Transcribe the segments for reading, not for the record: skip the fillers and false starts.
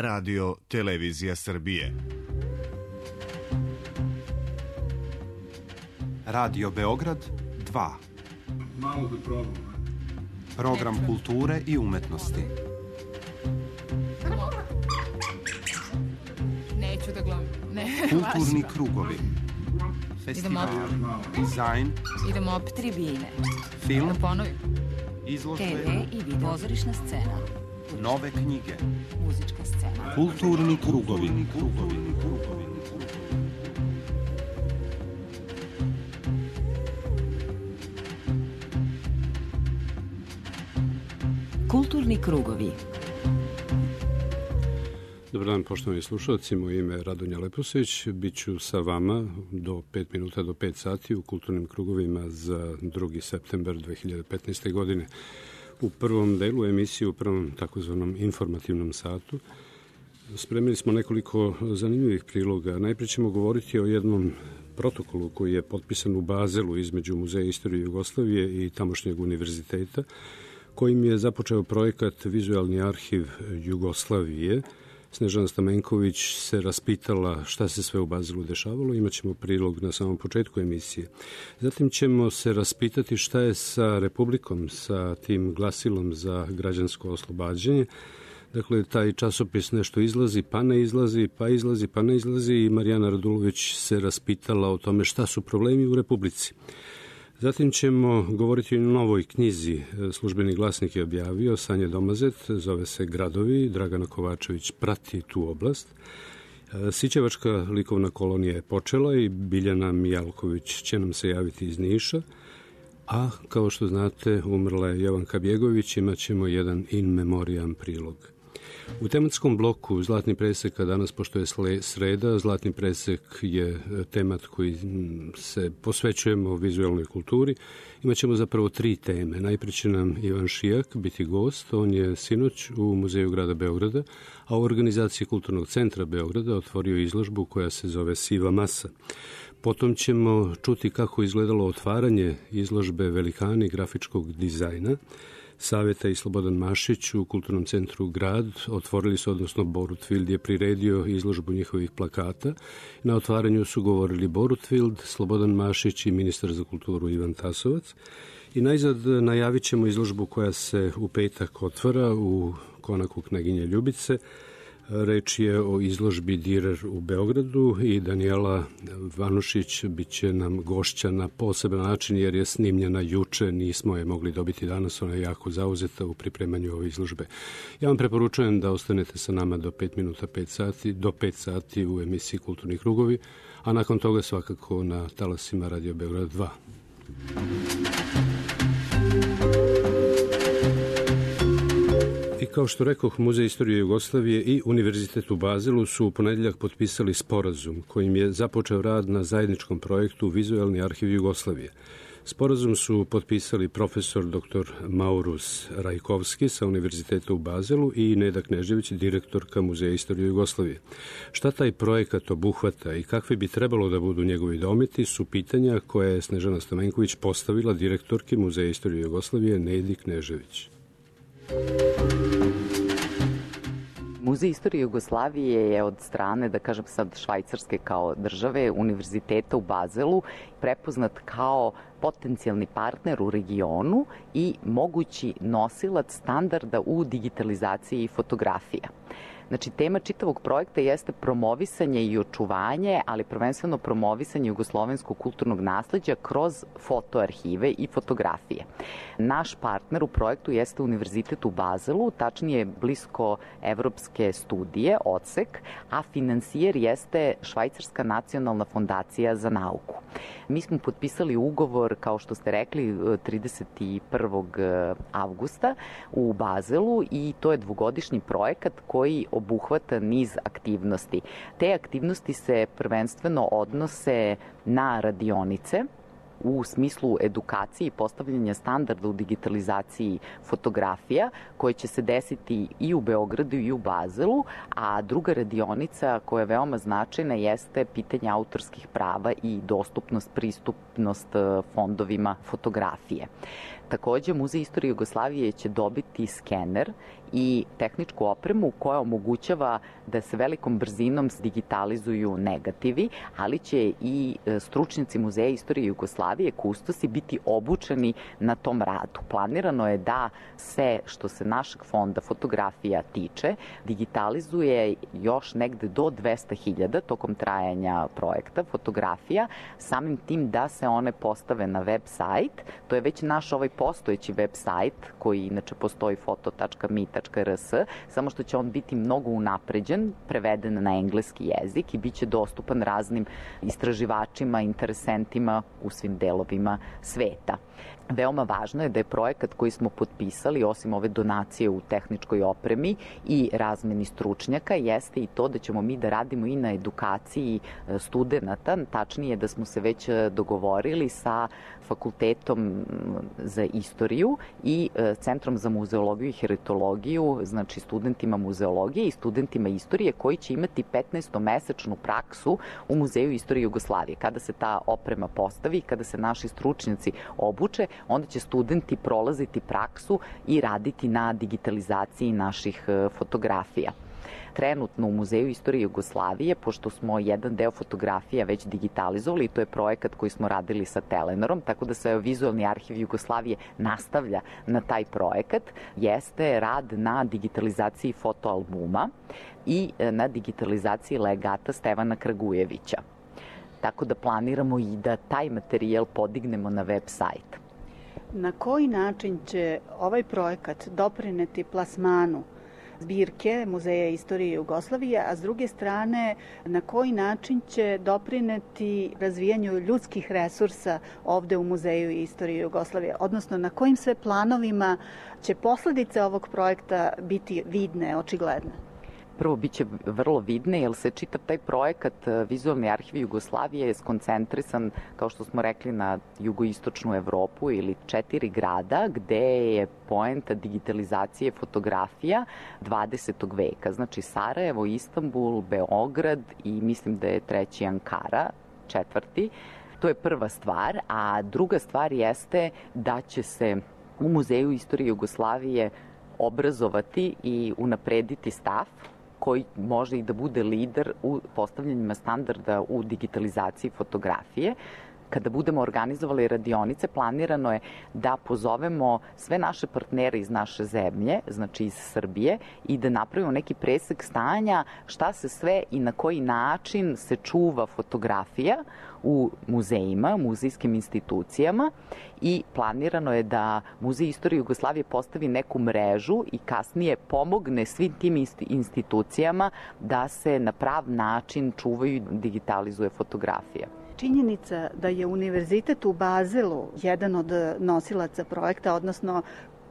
Radio Televizija Srbije. Radio Beograd 2. Malo da probam. Program kulture i umetnosti. Neću da glumim. Kulturni krugovi. Festival, dizajn. Idemo opet tribine. Film, da ponovim. Izložbe, TV i video. Pozorišna scena. nove knjige. Muzička scena. Kulturni krugovi. Kulturni krugovi. Dobar dan, poštovani slušalci, moje ime je Radonja Leposević, bit ću sa vama do 5 minuta do 5 sati u kulturnim krugovima za 2. septembar 2015. godine. U prvom delu emisije, u prvom takozvanom informativnom satu, spremili smo nekoliko zanimljivih priloga. Najprije ćemo govoriti o jednom protokolu koji je potpisan u Bazelu između Muzeja istorije Jugoslavije i tamošnjeg univerziteta, kojim je započeo projekat Vizualni arhiv Jugoslavije. Snežana Stamenković se raspitala šta se sve u Bazelu dešavalo, imaćemo prilog na samom početku emisije. Zatim ćemo se raspitati šta je sa Republikom, sa tim glasilom za građansko oslobađanje. Dakle, taj časopis nešto izlazi, pa ne izlazi, pa izlazi, pa ne izlazi i Marijana Radulović se raspitala o tome šta su problemi u Republici. Zatim ćemo govoriti o novoj knjizi. Službeni glasnik je objavio, Sanje Domazet, zove se Gradovi, Dragana Kovačević prati tu oblast. Sićevačka likovna kolonija je počela i Biljana Mijalković će nam se javiti iz Niša. A, kao što znate, umrla je Jovanka Bjegović, imat ćemo jedan in memoriam prilog. U tematskom bloku Zlatni presek, a danas, pošto je sreda, Zlatni presek je temat koji se posvećujemo vizualnoj kulturi. Imaćemo zapravo 3 teme. Najprije će nam Ivan Šijak biti gost. On je sinoć u Muzeju grada Beograda, a u organizaciji Kulturnog centra Beograda otvorio izložbu koja se zove Siva masa. Potom ćemo čuti kako izgledalo otvaranje izložbe Velikani grafičkog dizajna. Saveta i Slobodan Mašić u Kulturnom centru Grad otvorili su, odnosno Borut Vild je priredio izložbu njihovih plakata. Na otvaranju su govorili Borut Vild, Slobodan Mašić i ministar za kulturu Ivan Tasovac. I najzad najavit ćemo izložbu koja se u petak otvara u konaku Kneginje Ljubice. Reč je o izložbi Direr u Beogradu i Danijela Vanušić bit će nam gošća na poseban način jer je snimljena juče, nismo je mogli dobiti danas, ona je jako zauzeta u pripremanju ove izložbe. Ja vam preporučujem da ostanete sa nama do 5 minuta 5 sati, do 5 sati u emisiji Kulturni krugovi, a nakon toga svakako na talasima Radio Beograd 2. Kao što rekoh, Muzej istorije Jugoslavije i Univerzitet u Bazelu su u ponedeljak potpisali sporazum kojim je započeo rad na zajedničkom projektu Vizualni arhiv Jugoslavije. Sporazum su potpisali profesor dr. Maurus Rajkovski sa Univerziteta u Bazelu i Neda Knežević, direktorka Muzeja istorije Jugoslavije. Šta taj projekat obuhvata i kakvi bi trebalo da budu njegovi dometi su pitanja koje je Snežana Stamenković postavila direktorki Muzeja istorije Jugoslavije Nedi Knežević. Muzej istorije Jugoslavije je od strane, da kažem sad, Švajcarske kao države, Univerziteta u Bazelu, prepoznat kao potencijalni partner u regionu i mogući nosilac standarda u digitalizaciji fotografija. Znači, tema čitavog projekta jeste promovisanje i očuvanje, ali prvenstveno promovisanje jugoslovenskog kulturnog nasleđa kroz fotoarhive i fotografije. Naš partner u projektu jeste Univerzitet u Bazelu, tačnije blisko evropske studije, ODSEK, a finansijer jeste Švajcarska nacionalna fondacija za nauku. Mi smo potpisali ugovor, kao što ste rekli, 31. avgusta u Bazelu i to je 2-godišnji projekat koji obuhvata niz aktivnosti. Te aktivnosti se prvenstveno odnose na radionice u smislu edukacije i postavljanja standarda u digitalizaciji fotografija koje će se desiti i u Beogradu i u Bazelu, a druga radionica koja je veoma značajna jeste pitanje autorskih prava i dostupnost, pristupnost fondovima fotografije. Takođe, Muzej istorije Jugoslavije će dobiti skener i tehničku opremu koja omogućava da se velikom brzinom digitalizuju negativi, ali će i stručnjaci Muzeja istorije Jugoslavije, kustosi, biti obučeni na tom radu. Planirano je da se, što se našeg fonda fotografija tiče, digitalizuje još negde do 200.000 tokom trajanja projekta fotografija, samim tim da se one postave na web sajt. To je već naš ovaj postojeći web sajt koji inače postoji foto.mi.rs, samo što će on biti mnogo unapređen, preveden na engleski jezik i bit će dostupan raznim istraživačima, interesentima u svim delovima sveta. Veoma važno je da je projekat koji smo potpisali, osim ove donacije u tehničkoj opremi i razmeni stručnjaka, jeste i to da ćemo mi da radimo i na edukaciji studenata, tačnije da smo se već dogovorili sa Fakultetom za istoriju i Centrom za muzeologiju i heritologiju, znači studentima muzeologije i studentima istorije koji će imati 15-mesečnu praksu u Muzeju istorije Jugoslavije. Kada se ta oprema postavi, kada se naši stručnjaci obuče, onda će studenti prolaziti praksu i raditi na digitalizaciji naših fotografija. Trenutno u Muzeju istorije Jugoslavije, pošto smo jedan deo fotografija već digitalizovali, to je projekat koji smo radili sa Telenorom, tako da se Vizualni arhiv Jugoslavije nastavlja na taj projekat, jeste rad na digitalizaciji fotoalbuma i na digitalizaciji legata Stevana Kragujevića. Tako da planiramo i da taj materijal podignemo na web sajt. Na koji način će ovaj projekat doprineti plasmanu zbirke Muzeja istorije Jugoslavije, a s druge strane na koji način će doprineti razvijanju ljudskih resursa ovde u Muzeju istorije Jugoslavije, odnosno na kojim sve planovima će posledice ovog projekta biti vidne, očigledne? Prvo, biće vrlo vidne, jer se čitav taj projekat Vizualni arhiv Jugoslavije je skoncentrisan, kao što smo rekli, na jugoistočnu Evropu ili 4 grada, gde je poenta digitalizacije fotografija 20. veka. Znači Sarajevo, Istanbul, Beograd i mislim da je 3. Ankara, 4. To je prva stvar, a druga stvar jeste da će se u Muzeju istorije Jugoslavije obrazovati i unaprediti staf koji može i da bude lider u postavljanjima standarda u digitalizaciji fotografije. Kada budemo organizovali radionice, planirano je da pozovemo sve naše partnere iz naše zemlje, znači iz Srbije, i da napravimo neki presek stanja šta se sve i na koji način se čuva fotografija u muzejima, muzejskim institucijama, i planirano je da Muzej istorije Jugoslavije postavi neku mrežu i kasnije pomogne svim tim institucijama da se na prav način čuvaju i digitalizuje fotografija. Činjenica da je Univerzitet u Bazelu jedan od nosilaca projekta, odnosno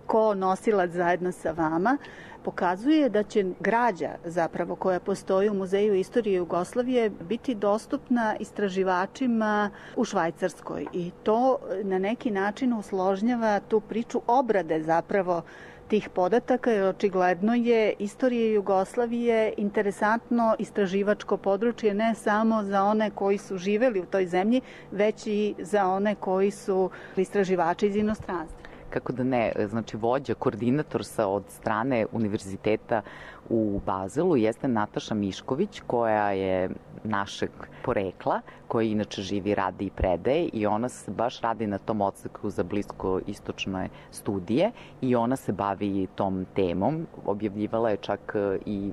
ko-nosilac zajedno sa vama, pokazuje da će građa zapravo koja postoji u Muzeju istorije Jugoslavije biti dostupna istraživačima u Švajcarskoj i to na neki način usložnjava tu priču obrade zapravo tih podataka, jer očigledno je istorija Jugoslavije interesantno istraživačko područje ne samo za one koji su živeli u toj zemlji, već i za one koji su istraživači iz inostranstva. Kako da ne, znači vođa, koordinator od strane Univerziteta u Bazelu jeste Nataša Mišković, koja je našeg porekla, koja inače živi, radi i predaje, i ona se baš radi na tom odseku za bliskoistočne studije i ona se bavi tom temom. Objavljivala je čak i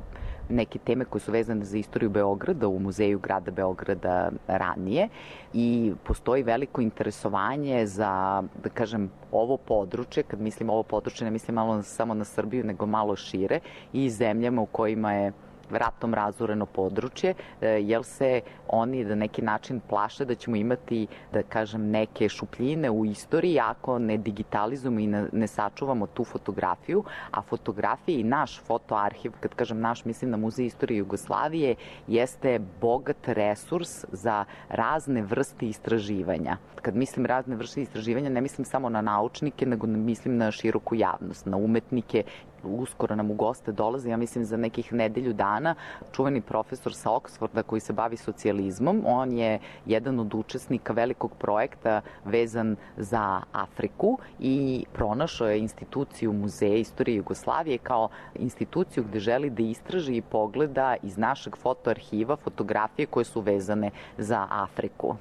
neke teme koje su vezane za istoriju Beograda u Muzeju grada Beograda ranije, i postoji veliko interesovanje za, da kažem, ovo područje. Kad mislim ovo područje, ne mislim malo samo na Srbiju, nego malo šire, i zemljama u kojima je ratom razoreno područje, jer se oni na neki način plaše da ćemo imati, da kažem, neke šupljine u istoriji ako ne digitalizujemo i ne sačuvamo tu fotografiju, a fotografija i naš fotoarhiv, kad kažem naš, mislim na Muzej istorije Jugoslavije, jeste bogat resurs za razne vrste istraživanja. Kad mislim razne vrste istraživanja, ne mislim samo na naučnike, nego mislim na široku javnost, na umetnike uskoro nam u goste dolazi, ja mislim za nekih nedelju dana, čuveni profesor sa Oksforda koji se bavi socijalizmom. On je jedan od učesnika velikog projekta vezan za Afriku i pronašao je instituciju Muzeja istorije Jugoslavije kao instituciju gde želi da istraži i pogleda iz našeg fotoarhiva fotografije koje su vezane za Afriku.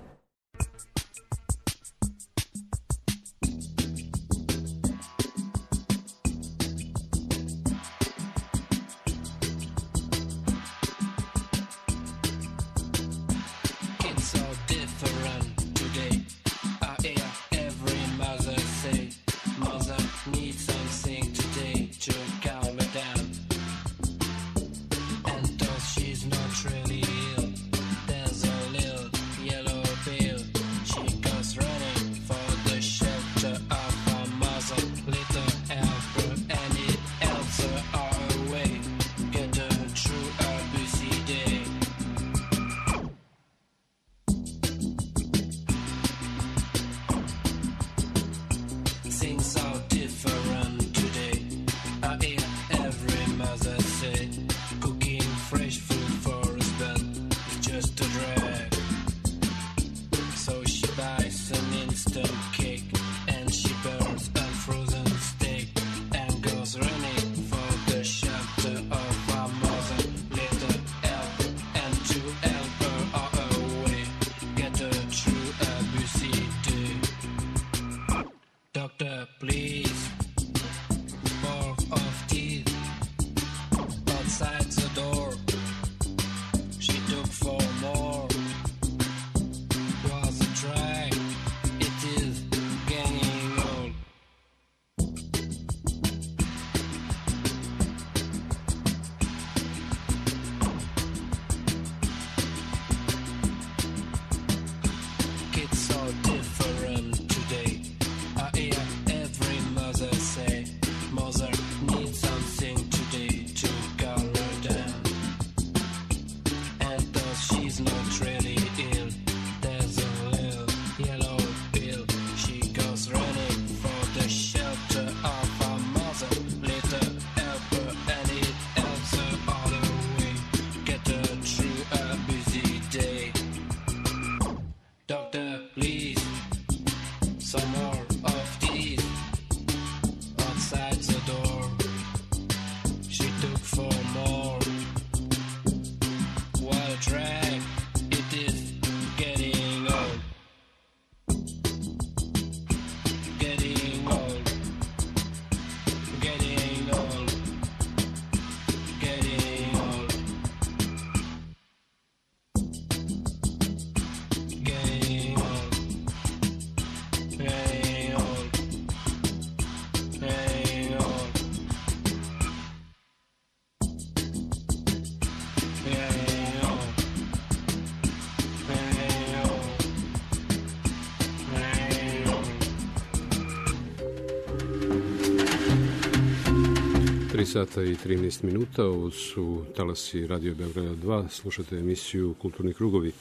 Sata i 13 minuta, ovo su talasi Radio Beograda 2, slušate emisiju Kulturni krugovi.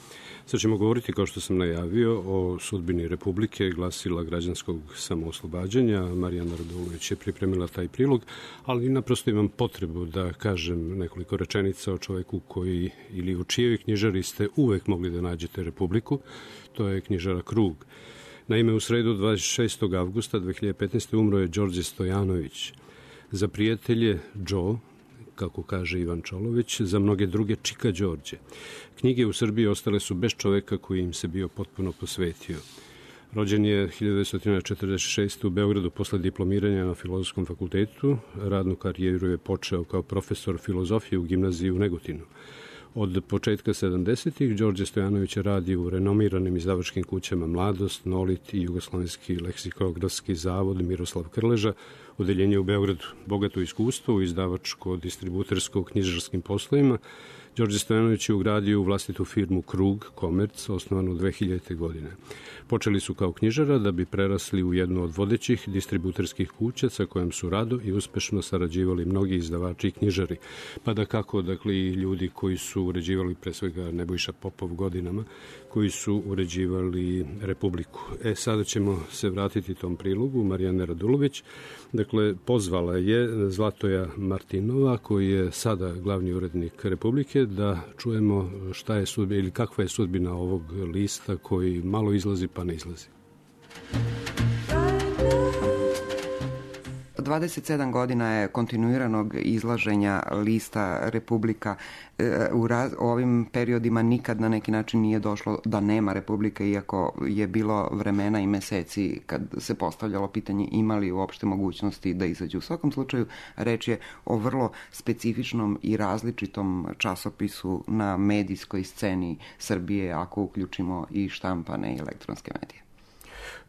Sad ćemo govoriti, kao što sam najavio, o sudbini Republike, glasila građanskog samooslobađanja. Marijana Radulović je pripremila taj prilog, ali naprosto imam potrebu da kažem nekoliko rečenica o čoveku koji, ili u čijoj knjižari ste uvek mogli da nađete Republiku, to je knjižara Krug. Naime, u sredu 26. avgusta 2015. umro je Đorđe Stojanović. Za prijatelje Joe, kako kaže Ivan Čolović, za mnoge druge Čika Đorđe. Knjige u Srbiji ostale su bez čoveka koji im se bio potpuno posvetio. Rođen je 1946. u Beogradu posle diplomiranja na Filozofskom fakultetu. Radnu karijeru je počeo kao profesor filozofije u gimnaziji u Negotinu. Od početka 70-ih Đorđe Stojanović radi u renomiranim izdavačkim kućama Mladost, Nolit i Jugoslovenski leksikografski zavod Miroslav Krleža, odeljenje u Beogradu. Bogato iskustvo u izdavačko-distributersko-knjižarskim poslovima, Đorđe Stojanović je ugradio u vlastitu firmu Krug Komerc, osnovanu 2000. godine. Počeli su kao knjižara da bi prerasli u jednu od vodećih distributerskih kuća sa kojom su rado i uspešno sarađivali mnogi izdavači i knjižari. Pa da kako, dakle, i ljudi koji su uređivali, pre svega Nebojša Popov godinama, koji su uređivali Republiku. Sada ćemo se vratiti tom prilogu Marijane Radulović, da Dakle, pozvala je Zlatoja Martinova, koji je sada glavni urednik Republike, da čujemo šta je sudbina ili kakva je sudbina ovog lista koji malo izlazi pa ne izlazi. 27 godina je kontinuiranog izlaženja lista Republika. U ovim periodima nikad na neki način nije došlo da nema Republike, iako je bilo vremena i meseci kad se postavljalo pitanje ima li uopšte mogućnosti da izađu. U svakom slučaju reč je o vrlo specifičnom i različitom časopisu na medijskoj sceni Srbije, ako uključimo i štampane i elektronske medije.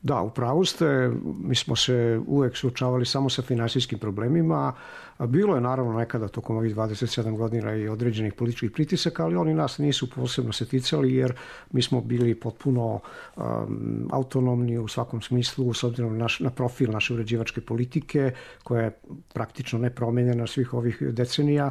Da, upravo ste, mi smo se uvek suočavali samo sa finansijskim problemima. Bilo je naravno nekada tokom ovih 27 godina i određenih političkih pritisaka, ali oni nas nisu posebno se ticali jer mi smo bili potpuno autonomni u svakom smislu s obzirom na profil naše uređivačke politike koja je praktično nepromenjena svih ovih decenija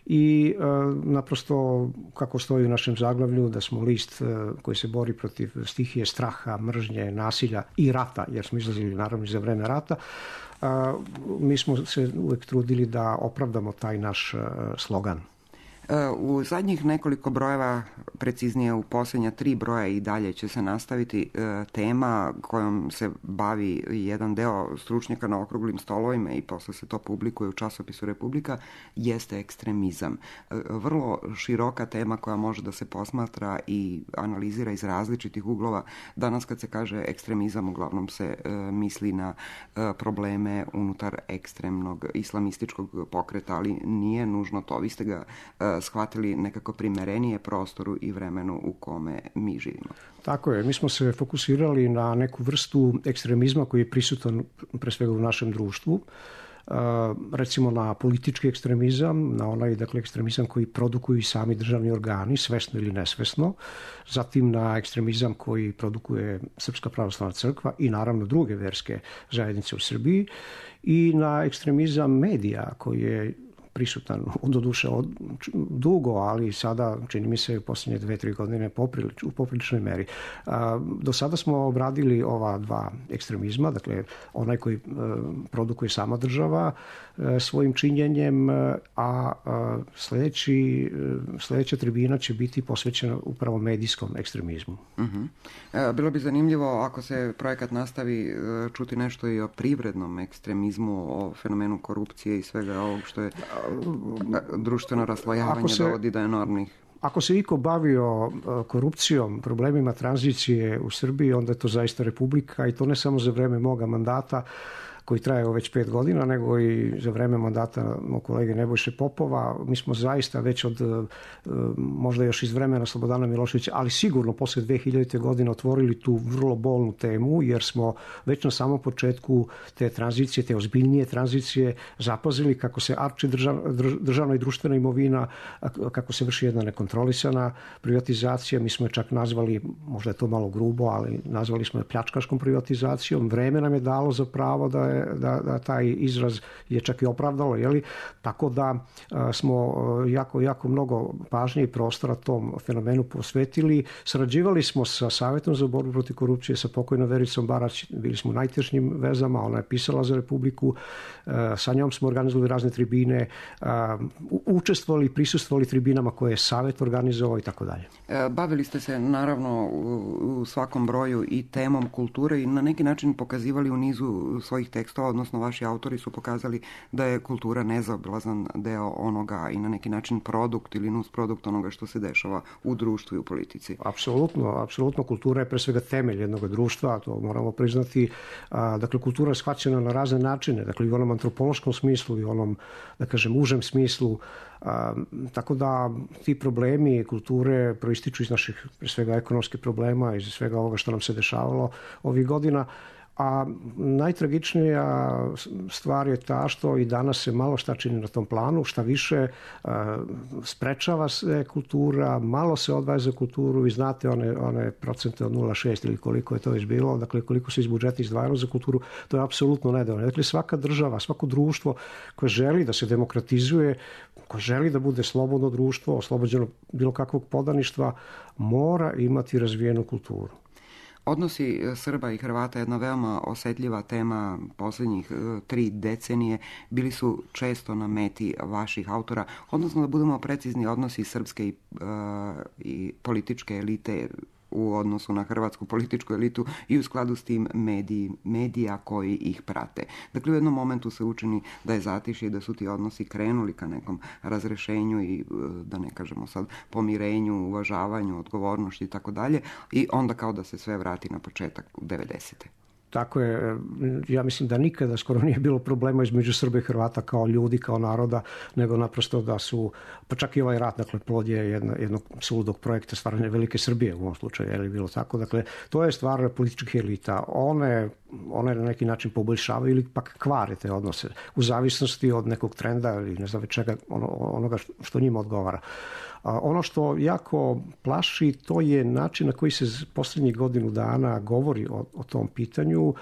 i naprosto kako stoji u našem zaglavlju da smo list koji se bori protiv stihije straha, mržnje, nasilja i rata, jer smo izlazili naravno za vreme rata. Mi smo se uvek trudili da opravdamo taj naš slogan. U zadnjih nekoliko brojeva, preciznije u posljednja 3 broja i dalje će se nastaviti tema kojom se bavi jedan deo stručnjaka na okruglim stolovima i posle se to publikuje u časopisu Republika, jeste ekstremizam. Vrlo široka tema koja može da se posmatra i analizira iz različitih uglova. Danas kad se kaže ekstremizam, uglavnom se misli na probleme unutar ekstremnog islamističkog pokreta, ali nije nužno to. Vi ste ga shvatili nekako primerenije prostoru i vremenu u kome mi živimo. Tako je, mi smo se fokusirali na neku vrstu ekstremizma koji je prisutan pre svega u našem društvu. Recimo na politički ekstremizam, na onaj ekstremizam koji produkuju i sami državni organi, svesno ili nesvesno, zatim na ekstremizam koji produkuje Srpska pravoslavna crkva i naravno druge verske zajednice u Srbiji i na ekstremizam medija koji je prisutan, doduše dugo, ali sada, čini mi se, u posljednje 2-3 godine u popriličnoj meri. Do sada smo obradili ova dva ekstremizma, dakle, onaj koji produkuje sama država svojim činjenjem, a sledeća tribina će biti posvećena upravo medijskom ekstremizmu. Bilo bi zanimljivo, ako se projekat nastavi, čuti nešto i o privrednom ekstremizmu, o fenomenu korupcije i svega ovog što je društveno raslojavanje dovodi do enormnih. Ako se iko bavio korupcijom, problemima tranzicije u Srbiji, onda je to zaista Republika i to ne samo za vreme moga mandata koji traje već 5 godina, nego i za vreme mandata mog kolege Nebojše Popova. Mi smo zaista već od, možda još iz vremena Slobodana Miloševića, ali sigurno posle 2000. godine otvorili tu vrlo bolnu temu, jer smo već na samom početku te tranzicije, te ozbiljnije tranzicije, zapazili kako se arči državna i društvena imovina, kako se vrši jedna nekontrolisana privatizacija. Mi smo je čak nazvali, možda je to malo grubo, ali nazvali smo je pljačkaškom privatizacijom. Vreme nam je dalo za pravo da taj izraz je čak i opravdalo, jeli? Tako da smo jako mnogo pažnje i prostora tom fenomenu posvetili. Sarađivali smo sa Savetom za borbu protiv korupcije, sa pokojnom Vericom Barać, bili smo u najtešnjim vezama, ona je pisala za Republiku, sa njom smo organizovali razne tribine, učestvovali i prisustvovali tribinama koje je Savet organizovao i tako dalje. Bavili ste se naravno u svakom broju i temom kulture i na neki način pokazivali u nizu svojih tekstova, odnosno vaši autori su pokazali da je kultura nezaobilazan deo onoga i na neki način produkt ili nusprodukt onoga što se dešava u društvu i u politici. Apsolutno. Kultura je pre svega temelj jednog društva, to moramo priznati. Dakle, kultura je shvaćena na razne načine, dakle i u onom antropološkom smislu i u onom, da kažem, užem smislu. Tako da ti problemi kulture proističu iz naših pre svega ekonomskih problema, iz svega ovoga što nam se dešavalo ovih godina. A najtragičnija stvar je ta što i danas se malo šta čini na tom planu, šta više sprečava se kultura, malo se odvaja za kulturu. Vi znate one procente od 0,6 ili koliko je to već bilo, dakle koliko se iz budžeta izdvajalo za kulturu, to je apsolutno nedovoljno. Dakle, svaka država, svako društvo koje želi da se demokratizuje, koje želi da bude slobodno društvo, oslobođeno bilo kakvog podaništva, mora imati razvijenu kulturu. Odnosi Srba i Hrvata je jedna veoma osetljiva tema posljednjih 3 decenije. Bili su često na meti vaših autora, odnosno da budemo precizni, odnosi srpske i političke elite u odnosu na hrvatsku političku elitu i u skladu s tim medija koji ih prate. Dakle, u jednom momentu se učini da je zatišje i da su ti odnosi krenuli ka nekom razrešenju i, da ne kažemo sad, pomirenju, uvažavanju, odgovornosti i tako dalje, i onda kao da se sve vrati na početak u 90. Tako je, ja mislim da nikada skoro nije bilo problema između Srba i Hrvata kao ljudi, kao naroda, nego naprosto da su, pa čak i ovaj rat, dakle, plod je jednog suludog projekta stvaranja velike Srbije u ovom slučaju, je li bilo tako? Dakle, to je stvar političkih elita. One na neki način poboljšavaju ili pak kvare te odnose u zavisnosti od nekog trenda ili ne znam čega, onoga što njima odgovara. Ono što jako plaši, to je način na koji se posljednjih godinu dana govori o tom pitanju.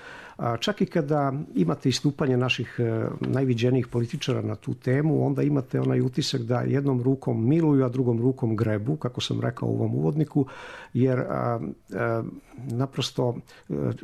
Čak i kada imate istupanje naših najviđenijih političara na tu temu, onda imate onaj utisak da jednom rukom miluju, a drugom rukom grebu, kako sam rekao u ovom uvodniku, jer naprosto,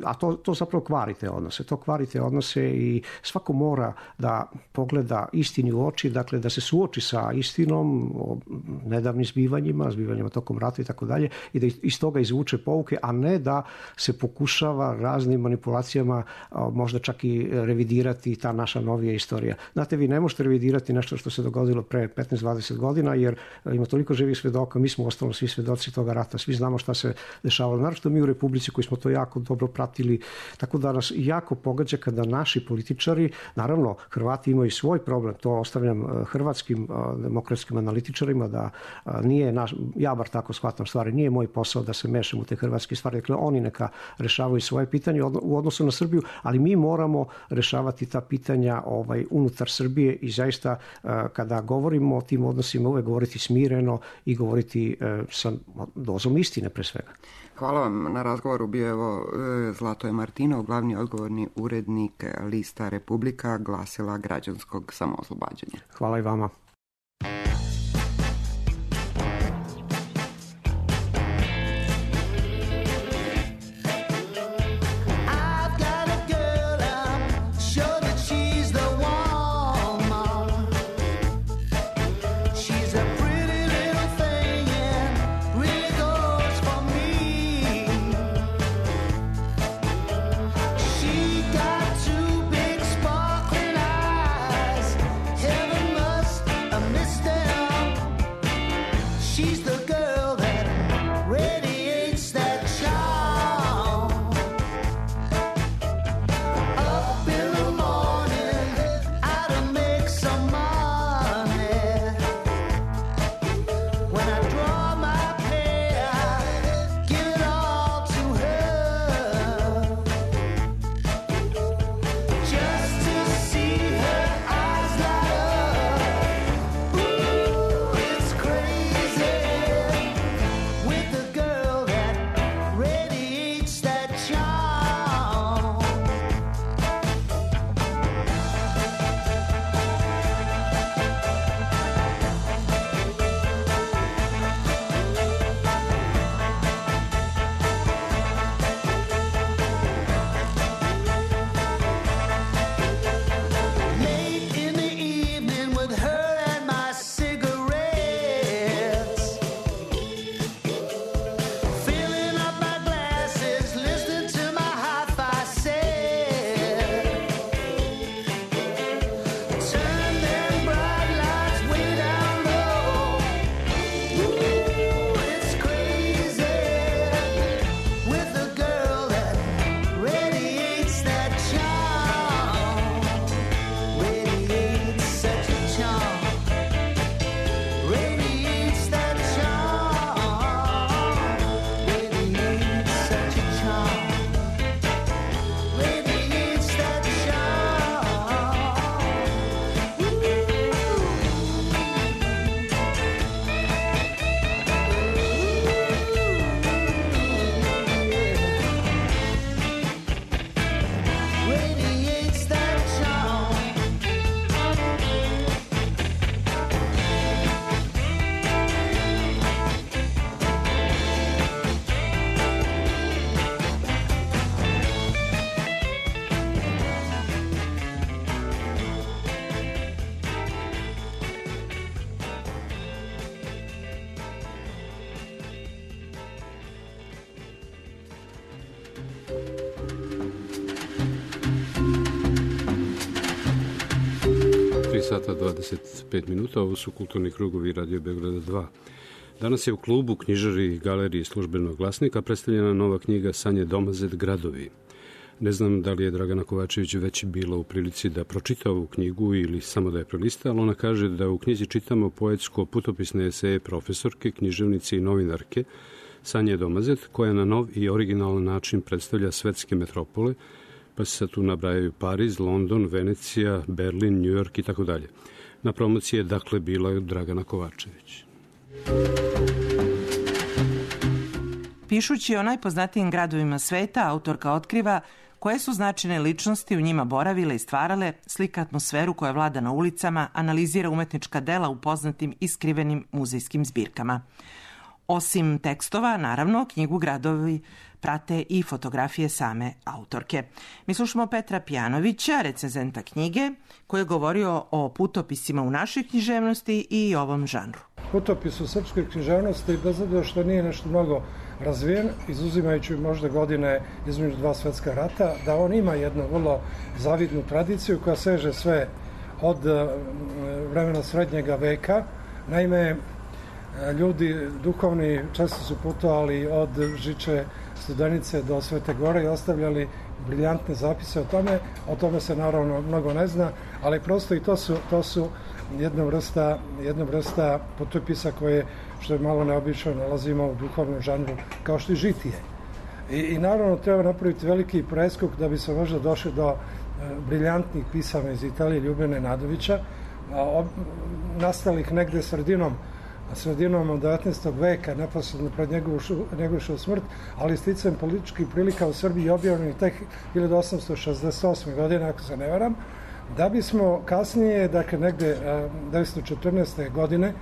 a to zapravo kvarite odnose. To kvarite odnose i svako mora da pogleda istini u oči, dakle da se suoči sa istinom o nedavnim zbivanjima tokom rata i tako dalje, i da iz toga izvuče pouke, a ne da se pokušava raznim manipulacijama možda čak i revidirati ta naša novija istorija. Znate, vi ne možete revidirati nešto što se dogodilo pre 15-20 godina, jer ima toliko živih svedoka, mi smo ostalo svi svedoci toga rata, svi znamo šta se dešavalo, naročito mi u Republici koji smo to jako dobro pratili, tako da nas jako pogađa kada naši političari, naravno Hrvati imaju svoj problem, to ostavljam hrvatskim demokratskim analitičarima, da nije ja bar tako shvatam stvari, nije moj posao da se mešam u te hrvatske stvari, dakle oni neka rešavaju svoje pitanje u odnosu na Srbiju, ali mi moramo rešavati ta pitanja unutar Srbije i zaista kada govorimo o tim odnosima uvek govoriti smireno i govoriti sa dozom istine pre svega. Hvala vam na razgovoru. Bio evo Zlatoje Martinov, glavni odgovorni urednik lista Republika, glasila građanskog samooslobađanja. Hvala i vama. Crazy. Sata 25 minuta, ovo su Kulturni krugovi Radio Beograda 2. Danas je u klubu, knjižari i galeriji Službenog glasnika predstavljena nova knjiga Sanje Domazet Gradovi. Ne znam da li je Dragana Kovačević već bila u prilici da pročita ovu knjigu ili samo da je prelista, ali ona kaže da u knjizi čitamo poetsko-putopisne eseje profesorke, književnice i novinarke Sanje Domazet, koja na nov i originalan način predstavlja svetske metropole, pa se sad tu nabrajaju Pariz, London, Venecija, Berlin, New York i tako dalje. Na promociji je dakle bila Dragana Kovačević. Pišući o najpoznatijim gradovima sveta, autorka otkriva koje su značajne ličnosti u njima boravile i stvarale, slika atmosferu koja vlada na ulicama, analizira umetnička dela u poznatim i skrivenim muzejskim zbirkama. Osim tekstova, naravno, knjigu Gradovi prate i fotografije same autorke. Mi slušamo Petra Pijanovića, recenzenta knjige, koji je govorio o putopisima u našoj književnosti i ovom žanru. Putopis u srpskoj književnosti, bez obzira što nije nešto mnogo razvijen, izuzimajući možda godine između dva svetska rata, da on ima jednu vrlo zavidnu tradiciju koja seže sve od vremena srednjega veka. Naime, ljudi duhovni često su putovali od Žiče Studenice do Svete Gore i ostavljali briljantne zapise o tome se naravno mnogo ne zna, ali prosto i to su jedna vrsta putopisa koje, što je malo neobično, nalazimo u duhovnom žanru kao što i žitije. I naravno treba napraviti veliki preskok da bi se možda došli do briljantnih pisama iz Italije Ljubene Nadovića, nastalih negde sredinom 19. veka, neposredno pred njegovu smrt, ali sticajem političkih prilika u Srbiji objavljeni tek 1868. godine, ako se ne varam, da bismo kasnije, dakle negde 1914. godine,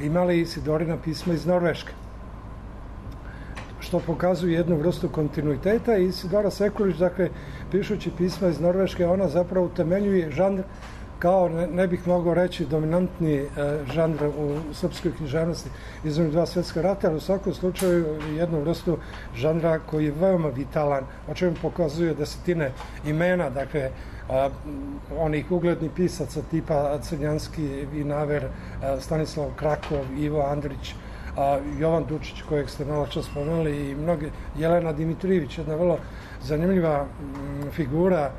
imali Isidorina pisma iz Norveške, što pokazuje jednu vrstu kontinuiteta. I Isidora Sekulić, dakle, pišući pisma iz Norveške, ona zapravo utemeljuje žanr kao, ne bih mogao reći, dominantni žanr u srpskoj književnosti između dva svetska rata, ali u svakom slučaju jednu vrstu žanra koji je veoma vitalan, o čemu pokazuje desetine imena, dakle, onih uglednih pisaca tipa Crnjanski, Vinaver, Stanislav Krakov, Ivo Andrić, Jovan Dučić, kojeg ste malo čas spomenuli, i mnoge, Jelena Dimitrijević, jedna vrlo zanimljiva figura,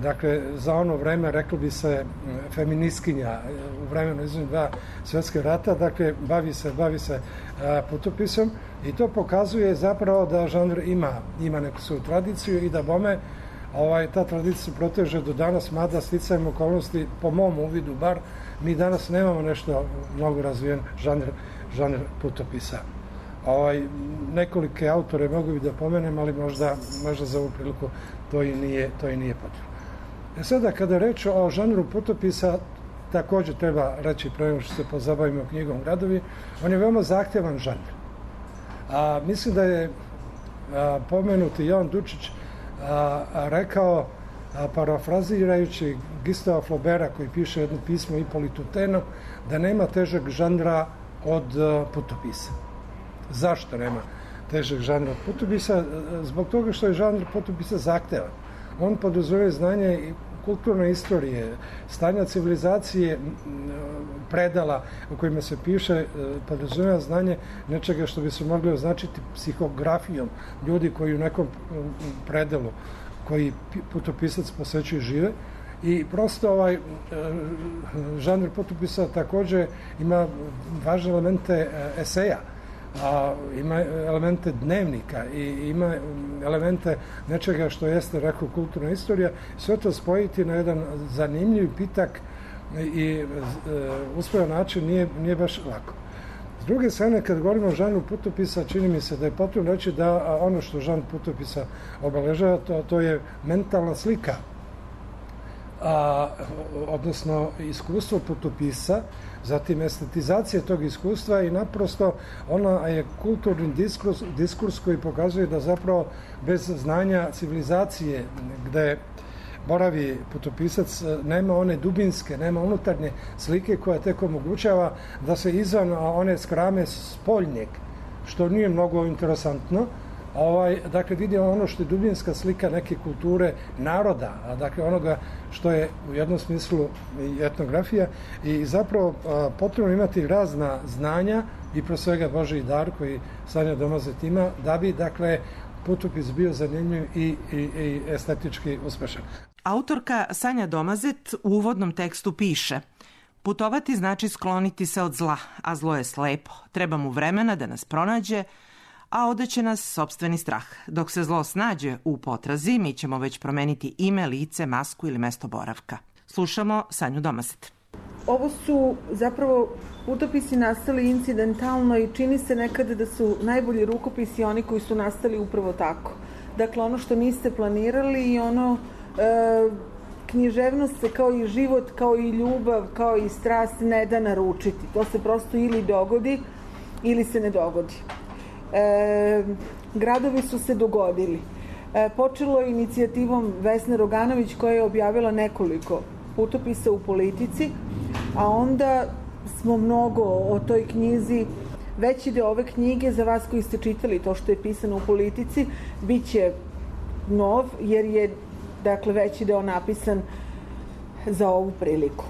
dakle, za ono vreme, reklo bi se, feministkinja u vremenu između dva svetska rata, dakle, bavi se putopisom, i to pokazuje zapravo da žanr ima neku svoju tradiciju i da bome ta tradicija se proteže do danas, mada sticajem okolnosti, po mom uvidu bar, mi danas nemamo nešto mnogo razvijen žanr putopisa. Nekolike autore mogu bi da pomenem, ali možda za ovu priliku to i nije potrebno. Sada, kada reč o žanru putopisa, također treba reći, pre nego što se pozabavimo knjigom Gradovi, on je veoma zahtevan žanr. Mislim da je pomenuti Jovan Dučić rekao, parafrazirajući Gustava Flauberta, koji piše jedno pismo Ipolitu Tenu, da nema težeg žanra od putopisa. Zašto nema težeg žanra od putopisa? Zbog toga što je žanr putopisa zahtevan. On podrazumeva znanje kulturne istorije, stanja civilizacije, predala u kojima se piše, podrazumeva znanje nečega što bi se mogli označiti psihografijom ljudi koji u nekom predelu koji putopisac posećuje žive. I prosto žanr putopisa također ima važne elemente eseja, ima elemente dnevnika i ima elemente nečega što jeste, rekao, kulturna istorija. Sve to spojiti na jedan zanimljiv, pitak i uspojan način nije baš lako. S druge strane, kad govorimo o žanru putopisa, čini mi se da je potrebno reći da ono što žanr putopisa obeležava, to je mentalna slika, odnosno iskustvo putopisa, zatim estetizacija tog iskustva i naprosto ona je kulturni diskurs koji pokazuje da zapravo bez znanja civilizacije gde boravi putopisac nema one dubinske, nema unutarnje slike koja tek omogućava da se izvan one skrame spoljnjeg, što nije mnogo interesantno, Dakle, vidimo ono što je dubinska slika neke kulture naroda, a dakle onoga što je u jednom smislu i etnografija i zapravo potrebno imati razna znanja i pro svega Božji dar koji Sanja Domazet ima, da bi, dakle, putopis bio zanimljiv i estetički uspešan. Autorka Sanja Domazet u uvodnom tekstu piše: putovati znači skloniti se od zla, a zlo je slepo. Treba mu vremena da nas pronađe, a odeće nas sopstveni strah. Dok se zlo snađe u potrazi, mi ćemo već promeniti ime, lice, masku ili mesto boravka. Slušamo Sanju Domazet. Ovo su zapravo putopisi nastali incidentalno i čini se nekada da su najbolji rukopisi oni koji su nastali upravo tako. Dakle, ono što niste planirali i ono književnost se kao i život, kao i ljubav, kao i strast ne da naručiti. To se prosto ili dogodi ili se ne dogodi. Gradovi su se dogodili. Počelo je inicijativom Vesne Roganović koja je objavila nekoliko putopisa u Politici, a onda smo mnogo o toj knjizi. Veći deo ove knjige, za vas koji ste čitali to što je pisano u Politici, bit će nov, jer je, dakle, veći deo napisan za ovu priliku.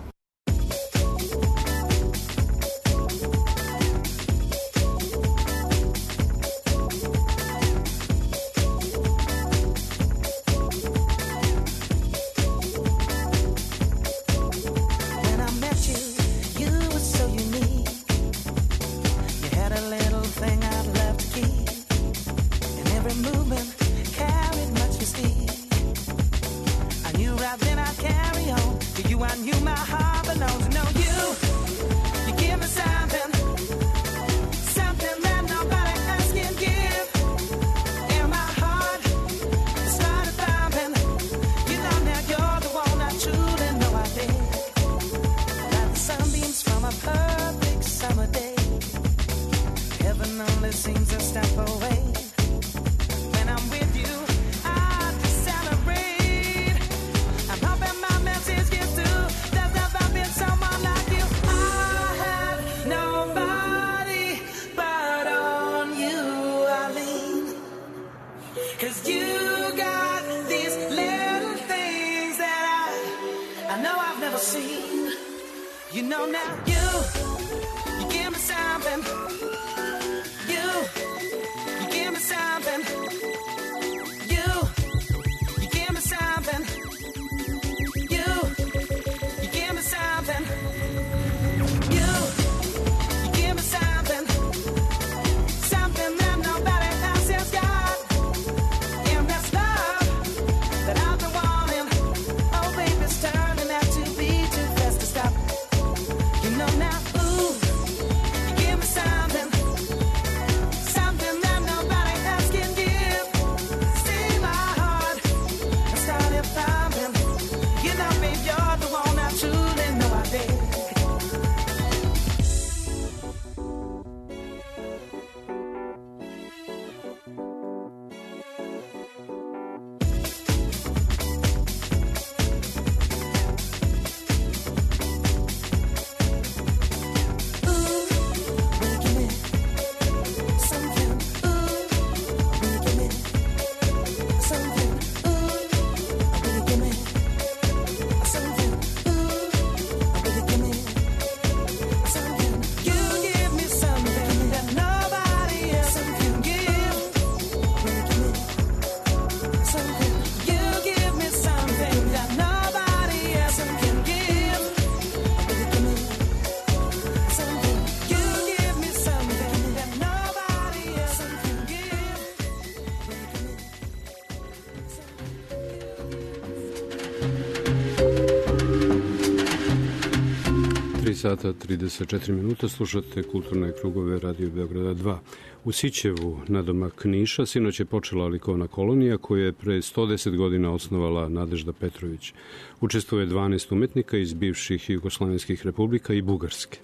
Sata 34 minuta, slušate Kulturne krugove Radio Beograda 2. U Sićevu, nadomak Niša, sinoć je počela likovna kolonija koju je pre 110 godina osnovala Nadežda Petrović. Učestvuje 12 umetnika iz bivših Jugoslovenskih republika i Bugarske.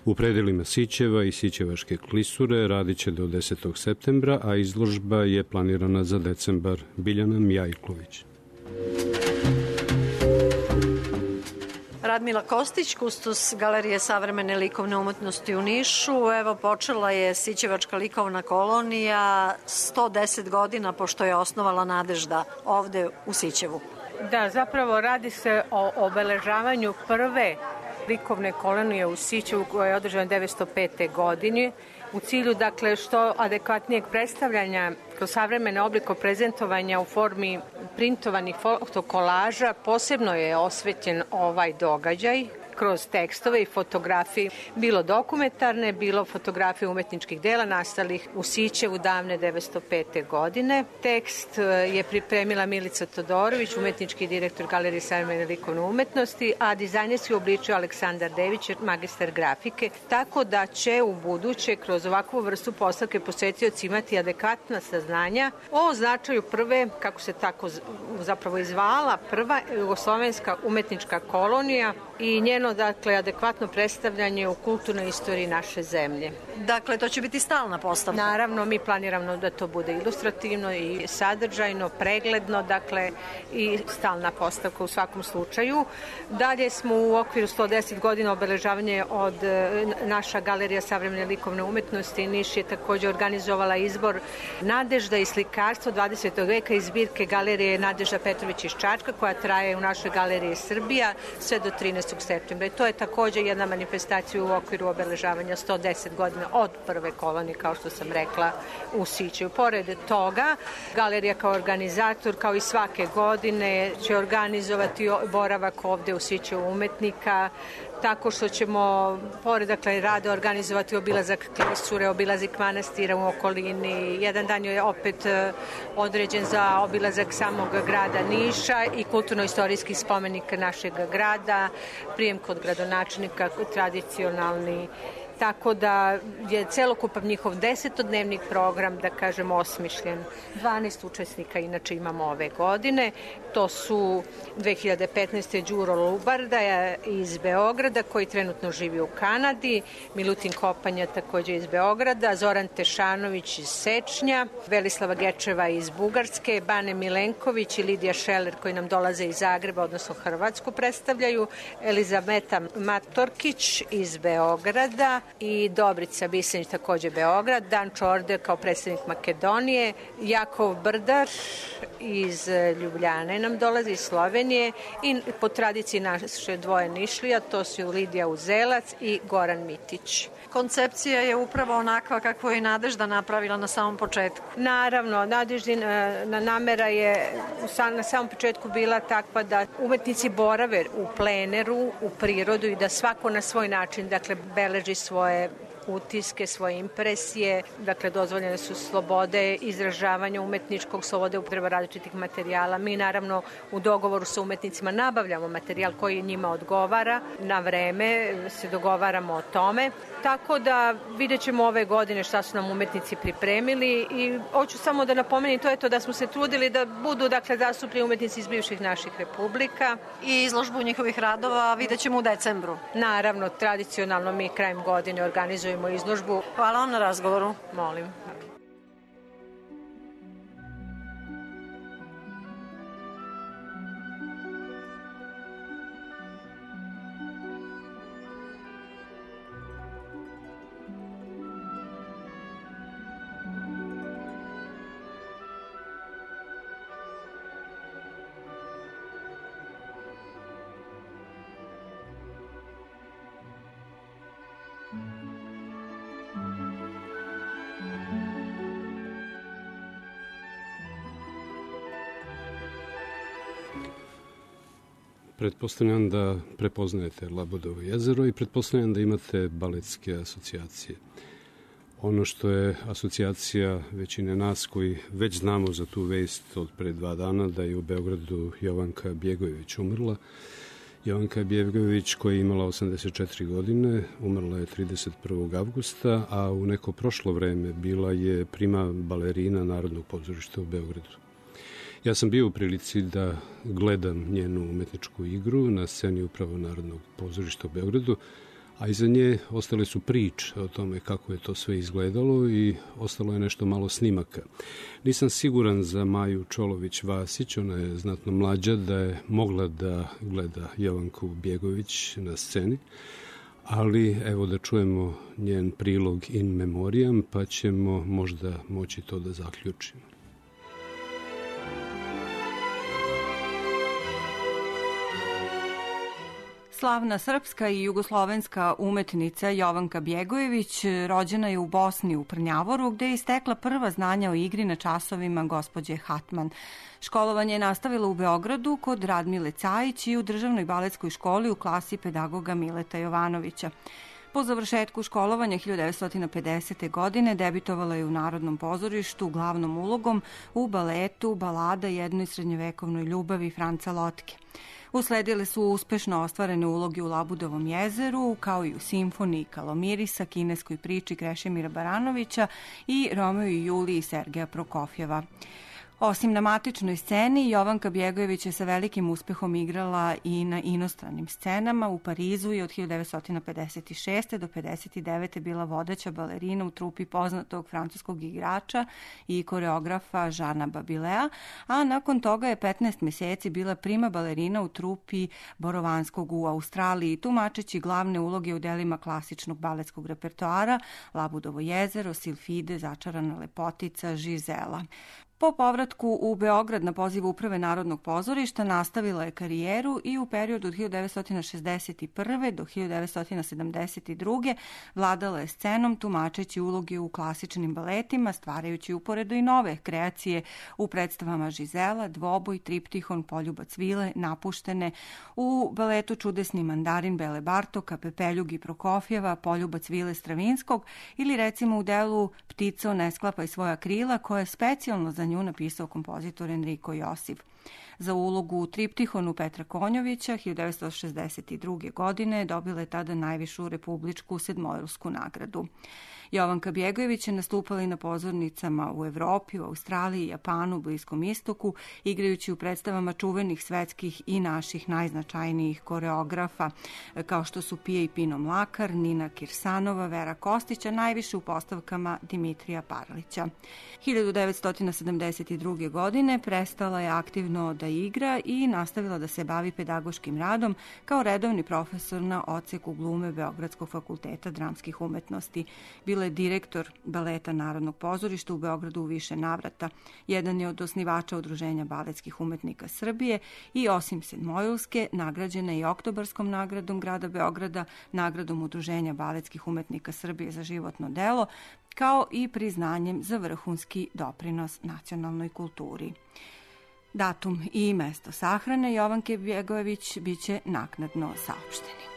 U predelima Sićeva i Sićevaške klisure radit će do 10. septembra, a izložba je planirana za decembar. Biljana Mijajklović. Radmila Kostić, kustos Galerije savremene likovne umetnosti u Nišu. Evo, počela je Sićevačka likovna kolonija 110 godina pošto je osnovala Nadežda ovde u Sićevu. Da, zapravo radi se o obeležavanju prve likovne kolonije u Sićevu koja je održana 1905. godine u cilju, dakle, što adekvatnijeg predstavljanja kroz savremene obliko prezentovanja u formi printovanih fotokolaža. Posebno je osvetljen ovaj događaj kroz tekstove i fotografije, bilo dokumentarne, bilo fotografije umetničkih dela nastalih u Sićevu davne 1905. godine. Tekst je pripremila Milica Todorović, umetnički direktor Galerije savremene likovne umetnosti, a dizajnerski obličio Aleksandar Dević, magistar grafike, tako da će u buduće kroz ovakvu vrstu postavke posetioci imati adekvatna saznanja o značaju prve, kako se tako zapravo izvala, prva jugoslovenska umetnička kolonija i njeno, dakle, adekvatno predstavljanje u kulturnoj istoriji naše zemlje. Dakle, to će biti stalna postavka? Naravno, mi planiramo da to bude ilustrativno i sadržajno, pregledno, dakle, i stalna postavka u svakom slučaju. Dalje smo u okviru 110 godina obeležavanja od naša Galerija savremene likovne umetnosti Niš je takođe organizovala izbor Nadežda i slikarstvo 20. veka iz zbirke Galerije Nadežda Petrović iz Čačka, koja traje u našoj Galeriji Srbija sve do 13. septembra. I to je takođe jedna manifestacija u okviru obeležavanja 110 godina od prve kolonije, kao što sam rekla, u Sićevu. Pored toga, galerija kao organizator, kao i svake godine, će organizovati boravak ovde u Sićevu umetnika, tako što ćemo, pored, dakle, rada organizovati obilazak Klisure, obilazak manastira u okolini. Jedan dan je opet određen za obilazak samog grada Niša i kulturno-istorijski spomenik našeg grada, prijem kod gradonačelnika, tradicionalni. Tako da je celokupan njihov 10-dnevni program, da kažem, osmišljen. 12 učesnika inače imamo ove godine. To su 2015. Đuro Lubarda iz Beograda, koji trenutno živi u Kanadi, Milutin Kopanja takođe iz Beograda, Zoran Tešanović iz Sečnja, Velislava Gečeva iz Bugarske, Bane Milenković i Lidija Šeler koji nam dolaze iz Zagreba, odnosno Hrvatsku predstavljaju, Elizabeta Matorkić iz Beograda, i Dobrica Bisenić, takođe Beograd, Dan Čorde kao predstavnik Makedonije, Jakov Brdar iz Ljubljane nam dolazi, iz Slovenije, i po tradiciji naše dvoje Nišlija, to su Lidija Uzelac i Goran Mitić. Koncepcija je upravo onakva kako je i Nadežda napravila na samom početku. Naravno, Nadeždina namera je na samom početku bila takva da umetnici borave u pleneru, u prirodu i da svako na svoj način, dakle, beleži svoje utiske, svoje impresije, dakle, dozvoljene su slobode izražavanja umetničkog, slobode upotreba različitih materijala. Mi naravno u dogovoru sa umetnicima nabavljamo materijal koji njima odgovara, na vreme se dogovaramo o tome, tako da vidjet ćemo ove godine šta su nam umetnici pripremili i hoću samo da napomenem to je to da smo se trudili da budu, dakle, zastupljeni umetnici iz bivših naših republika. I izložbu njihovih radova vidjet ćemo u decembru. Naravno, tradicionalno mi krajem godine organizujemo izložbu. Hvala vam na razgovoru. Molim. Pretpostavljam da prepoznajete Labudovo jezero i pretpostavljam da imate baletske asocijacije. Ono što je asocijacija većine nas koji već znamo za tu vest od pre 2 dana da je u Beogradu Jovanka Bjegojević umrla. Jovanka Bjegojević koja je imala 84 godine, umrla je 31. avgusta, a u neko prošlo vreme bila je prima balerina Narodnog pozorišta u Beogradu. Ja sam bio u prilici da gledam njenu umetničku igru na sceni upravo Narodnog pozorišta u Beogradu, a iza nje ostale su priče o tome kako je to sve izgledalo i ostalo je nešto malo snimaka. Nisam siguran za Maju Čolović-Vasić, ona je znatno mlađa, da je mogla da gleda Jovanku Bjegović na sceni, ali evo da čujemo njen prilog in memoriam, pa ćemo možda moći to da zaključimo. Slavna srpska i jugoslovenska umetnica Jovanka Bjegojević rođena je u Bosni u Prnjavoru, gde je stekla prva znanja o igri na časovima gospođe Hatman. Školovanje je nastavila u Beogradu kod Radmile Cajić i u Državnoj baletskoj školi u klasi pedagoga Mileta Jovanovića. Po završetku školovanja 1950. godine debitovala je u Narodnom pozorištu glavnom ulogom u baletu Balada jednoj srednjevekovnoj ljubavi Franca Lotke. Usledile su uspešno ostvarene uloge u Labudovom jezeru, kao i u simfoniji Kalomirisa, kineskoj priči Krešimira Baranovića i Romeo i Juliji Sergeja Prokofjeva. Osim na matičnoj sceni, Jovanka Bjegojević je sa velikim uspehom igrala i na inostranim scenama. U Parizu je od 1956. do 1959. bila vodeća balerina u trupi poznatog francuskog igrača i koreografa Žana Babilea, a nakon toga je 15 meseci bila prima balerina u trupi Borovanskog u Australiji, tumačeći glavne uloge u delima klasičnog baletskog repertoara Labudovo jezero, Silfide, Začarana lepotica, Žizela. Po povratku u Beograd na poziv Uprave Narodnog pozorišta nastavila je karijeru i u periodu od 1961. do 1972. vladala je scenom tumačeći uloge u klasičnim baletima, stvarajući uporedo i nove kreacije u predstavama Žizela, Dvoboj, Triptihon, Poljubac Vile, Napuštene, u baletu Čudesni mandarin Bele Bartoka, Pepeljugi Prokofjeva, Poljubac Vile Stravinskog ili recimo u delu Ptico ne sklapaj svoja krila, koja je specijalno za nju napisao kompozitor Enrico Josif. Za ulogu u Triptihonu Petra Konjovića 1962. godine dobila je tada najvišu republičku sedmojilsku nagradu. Jovanka Bjegojević je nastupala i na pozornicama u Evropi, u Australiji, Japanu, Bliskom istoku, igrajući u predstavama čuvenih svetskih i naših najznačajnijih koreografa, kao što su Pije i Pino Mlakar, Nina Kirsanova, Vera Kostića, najviše u postavkama Dimitrija Parlića. 1972. godine prestala je aktivno da igra i nastavila da se bavi pedagoškim radom kao redovni profesor na odseku glume Beogradskog fakulteta dramskih umetnosti. Bila je direktor baleta Narodnog pozorišta u Beogradu u više navrata. Jedan je od osnivača Udruženja baletskih umetnika Srbije i osim sedmojilske, nagrađena i Oktobarskom nagradom grada Beograda, nagradom Udruženja baletskih umetnika Srbije za životno delo, kao i priznanjem za vrhunski doprinos nacionalnoj kulturi. Datum i mesto sahrane Jovanke Bjegojević biće naknadno saopšteni.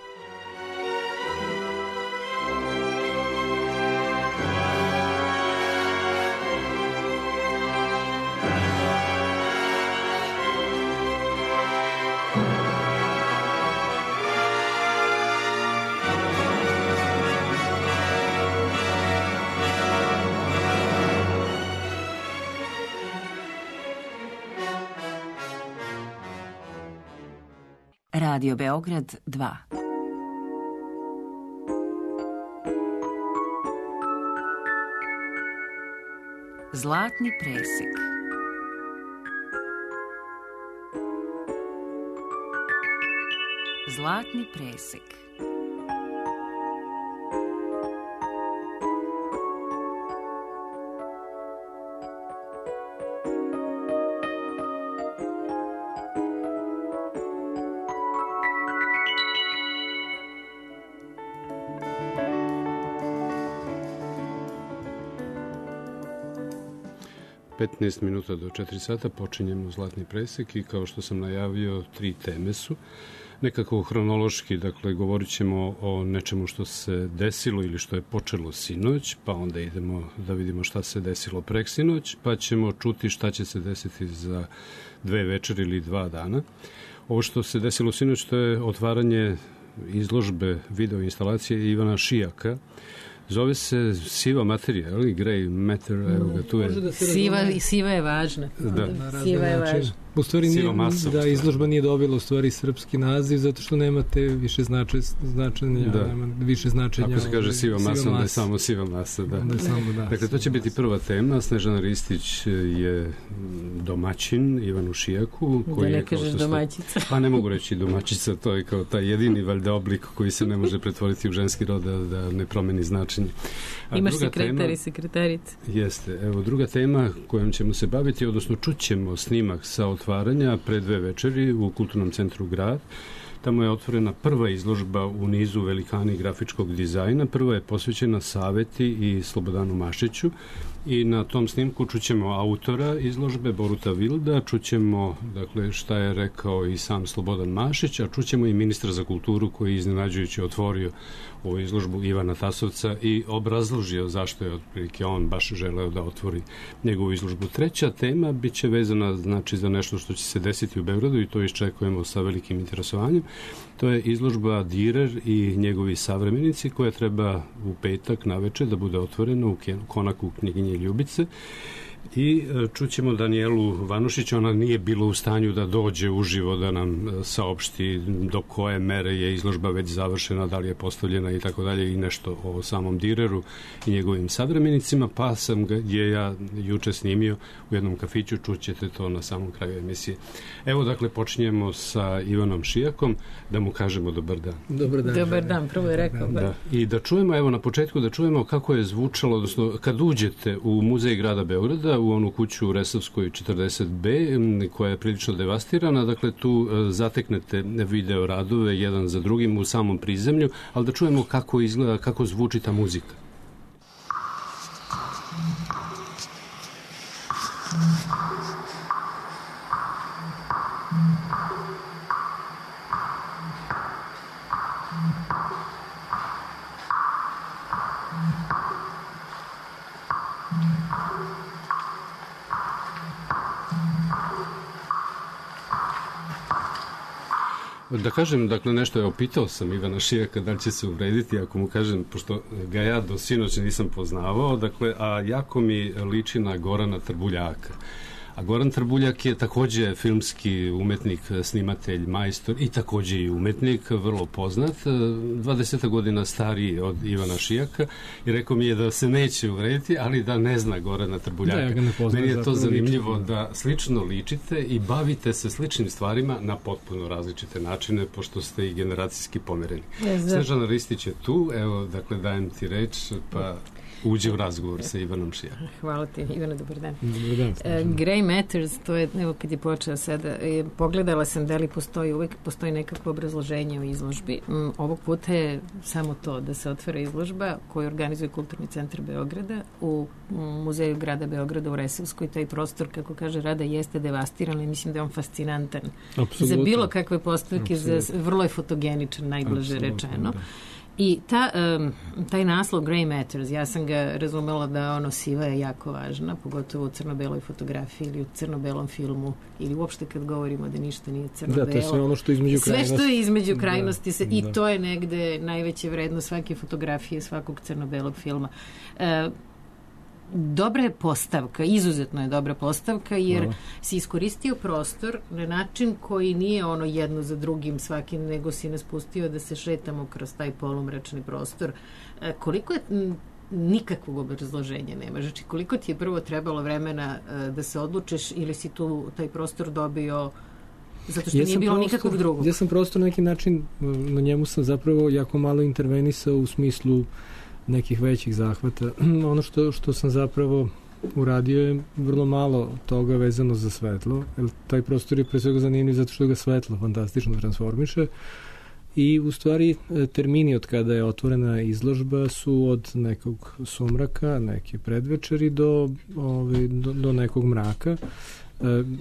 Radio Beograd 2. Zlatni presek. Zlatni presek. ...15 minuta do 4 sata počinjemo Zlatni presek i kao što sam najavio, 3 teme su. Nekako hronološki, dakle, govorit ćemo o nečemu što se desilo ili što je počelo sinoć, pa onda idemo da vidimo šta se desilo preksinoć, pa ćemo čuti šta će se desiti za 2 večeri ili 2 dana. Ovo što se desilo sinoć, to je otvaranje izložbe video instalacije Ivana Šijaka Zove se Siva materija, ali Grey Matter, evo ga, tu je. Siva je važna. Da. Siva je važna. U stvari da izložba nije dobila u stvari srpski naziv zato što nema te više značenja, nema više značenja. Ako se kaže siva masa, onda je samo siva masa, da. Dakle, to će biti prva tema. Snežana Ristić je domaćin Ivanu Šijaku. Da ne kažeš domaćica. Pa ne mogu reći domaćica, to je kao taj jedini valjda oblik koji se ne može pretvoriti u ženski rod da ne promeni značenje. Imaš sekretar i sekretarice. Jeste. Evo, druga tema kojom ćemo se baviti, odnosno čućemo snimak sa otvaranja pre 2 večeri u Kulturnom centru Grad. Tamo je otvorena prva izložba u nizu velikani grafičkog dizajna. Prva je posvećena Saveti i Slobodanu Mašiću i na tom snimku čućemo autora izložbe Boruta Vilda, čućemo dakle, šta je rekao i sam Slobodan Mašić, a čućemo i ministra za kulturu koji je iznenađujući otvorio ovu izložbu Ivana Tasovca i obrazložio zašto je otprilike on baš želeo da otvori njegovu izložbu. Treća tema biće vezana znači za nešto što će se desiti u Beogradu i to iščekujemo sa velikim interesovanjem. To je izložba Direr i njegovi savremenici koja treba u petak naveče da bude otvorena u konaku knjiginje Ljubice. I čućemo Danijelu Vanušić, ona nije bila u stanju da dođe uživo da nam saopšti do koje mere je izložba već završena, da li je postavljena i tako dalje i nešto o samom Direru i njegovim savremenicima, pa sam ga ja juče snimio u jednom kafiću, čućete to na samom kraju emisije. Evo dakle počinjemo sa Ivanom Šijakom, da mu kažemo dobar dan. Dobar dan, prvo je rekao. Da. I da čujemo, evo na početku da čujemo kako je zvučalo, odnosno kad uđete u Muzej grada Beograda, u onu kuću u Resavskoj 40B, koja je prilično devastirana. Dakle, tu zateknete video radove jedan za drugim u samom prizemlju, ali da čujemo kako izgleda, kako zvuči ta muzika. Da kažem, dakle, nešto je opitao sam Ivana Šijaka da li će se uvrediti ako mu kažem, pošto ga ja do sinoć nisam poznavao, dakle, a jako mi liči na Gorana Trbuljaka. A Goran Trbuljak je takođe filmski umetnik, snimatelj, majstor i takođe i umetnik, vrlo poznat, 20 godina stariji od Ivana Šijaka i rekao mi je da se neće uvrediti, ali da ne zna Gorana Trbuljaka. Da, ja ga ne poznam. Meni je to zanimljivo da slično ličite i bavite se sličnim stvarima na potpuno različite načine, pošto ste i generacijski pomereni. Snežana Ristić je tu, evo, dakle, dajem ti reč, pa uđe u razgovor sa Ivanom Šijakom. Hvala ti, Ivana, dobar dan. Dobar dan. Grey Matters, to je, evo kad je počeo sada, pogledala sam da li uvek postoji nekakvo obrazloženje u izložbi. Ovog puta je samo to da se otvara izložba koju organizuje Kulturni centar Beograda u Muzeju grada Beograda u Resavskoj. Taj prostor, kako kaže Rada, jeste devastiran i mislim da je on fascinantan. Apsolutno. Za bilo kakve postavke, vrlo je fotogeničan, najblaže rečeno. Da. I taj naslov Grey Matters, ja sam ga razumela da ono siva je jako važna, pogotovo u crno-beloj fotografiji ili u crno-belom filmu ili uopšte kad govorimo da ništa nije crno-belo. Da, to je sve ono što je između krajnosti. Sve što je između krajnosti i to je negde najveća vrednost svake fotografije, svakog crno-belog filma. Dobra je postavka, izuzetno je dobra postavka, jer si iskoristio prostor na način koji nije ono jedno za drugim svakim, nego si nas pustio da se šetamo kroz taj polumračni prostor. Koliko je nikakvog obrazloženja nema. Znači, koliko ti je prvo trebalo vremena da se odlučiš ili si tu taj prostor dobio zato što nije bilo nikakvog drugog? Ja sam prostor na neki način, na njemu sam zapravo jako malo intervenisao u smislu nekih većih zahvata. Ono što sam zapravo uradio je vrlo malo toga vezano za svetlo, jer taj prostor je pre svega zanimljiv zato što ga svetlo fantastično transformiše i u stvari termini od kada je otvorena izložba su od nekog sumraka, neke predvečeri do nekog mraka.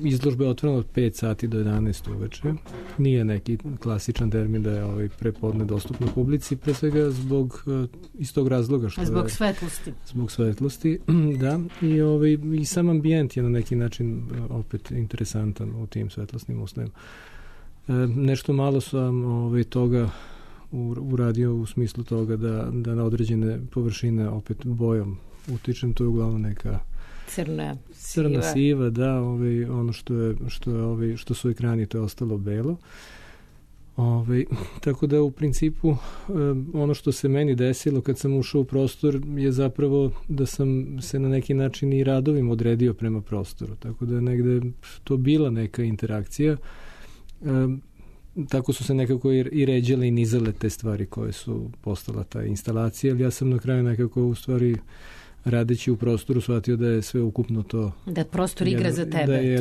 Izložba je otvorena od 5 sati do 11 uveče. Nije neki klasičan termin da je prepodne dostupno publici, pre svega zbog istog razloga što zbog svetlosti. Zbog svetlosti, da. I sam ambijent je na neki način opet interesantan u tim svetlosnim uslovima. Nešto malo sam toga uradio u smislu toga da na određene površine opet bojom utičem. To je uglavnom neka crna siva, da, ono što su ekrani, to je ostalo belo. Tako da u principu ono što se meni desilo kad sam ušao u prostor je zapravo da sam se na neki način i radovim odredio prema prostoru, tako da je negde to bila neka interakcija. Tako su se nekako i ređale i nizale te stvari koje su postala ta instalacija, ali ja sam na kraju nekako u stvari radeći u prostoru shvatio da je sve ukupno to... Da prostor igra za tebe.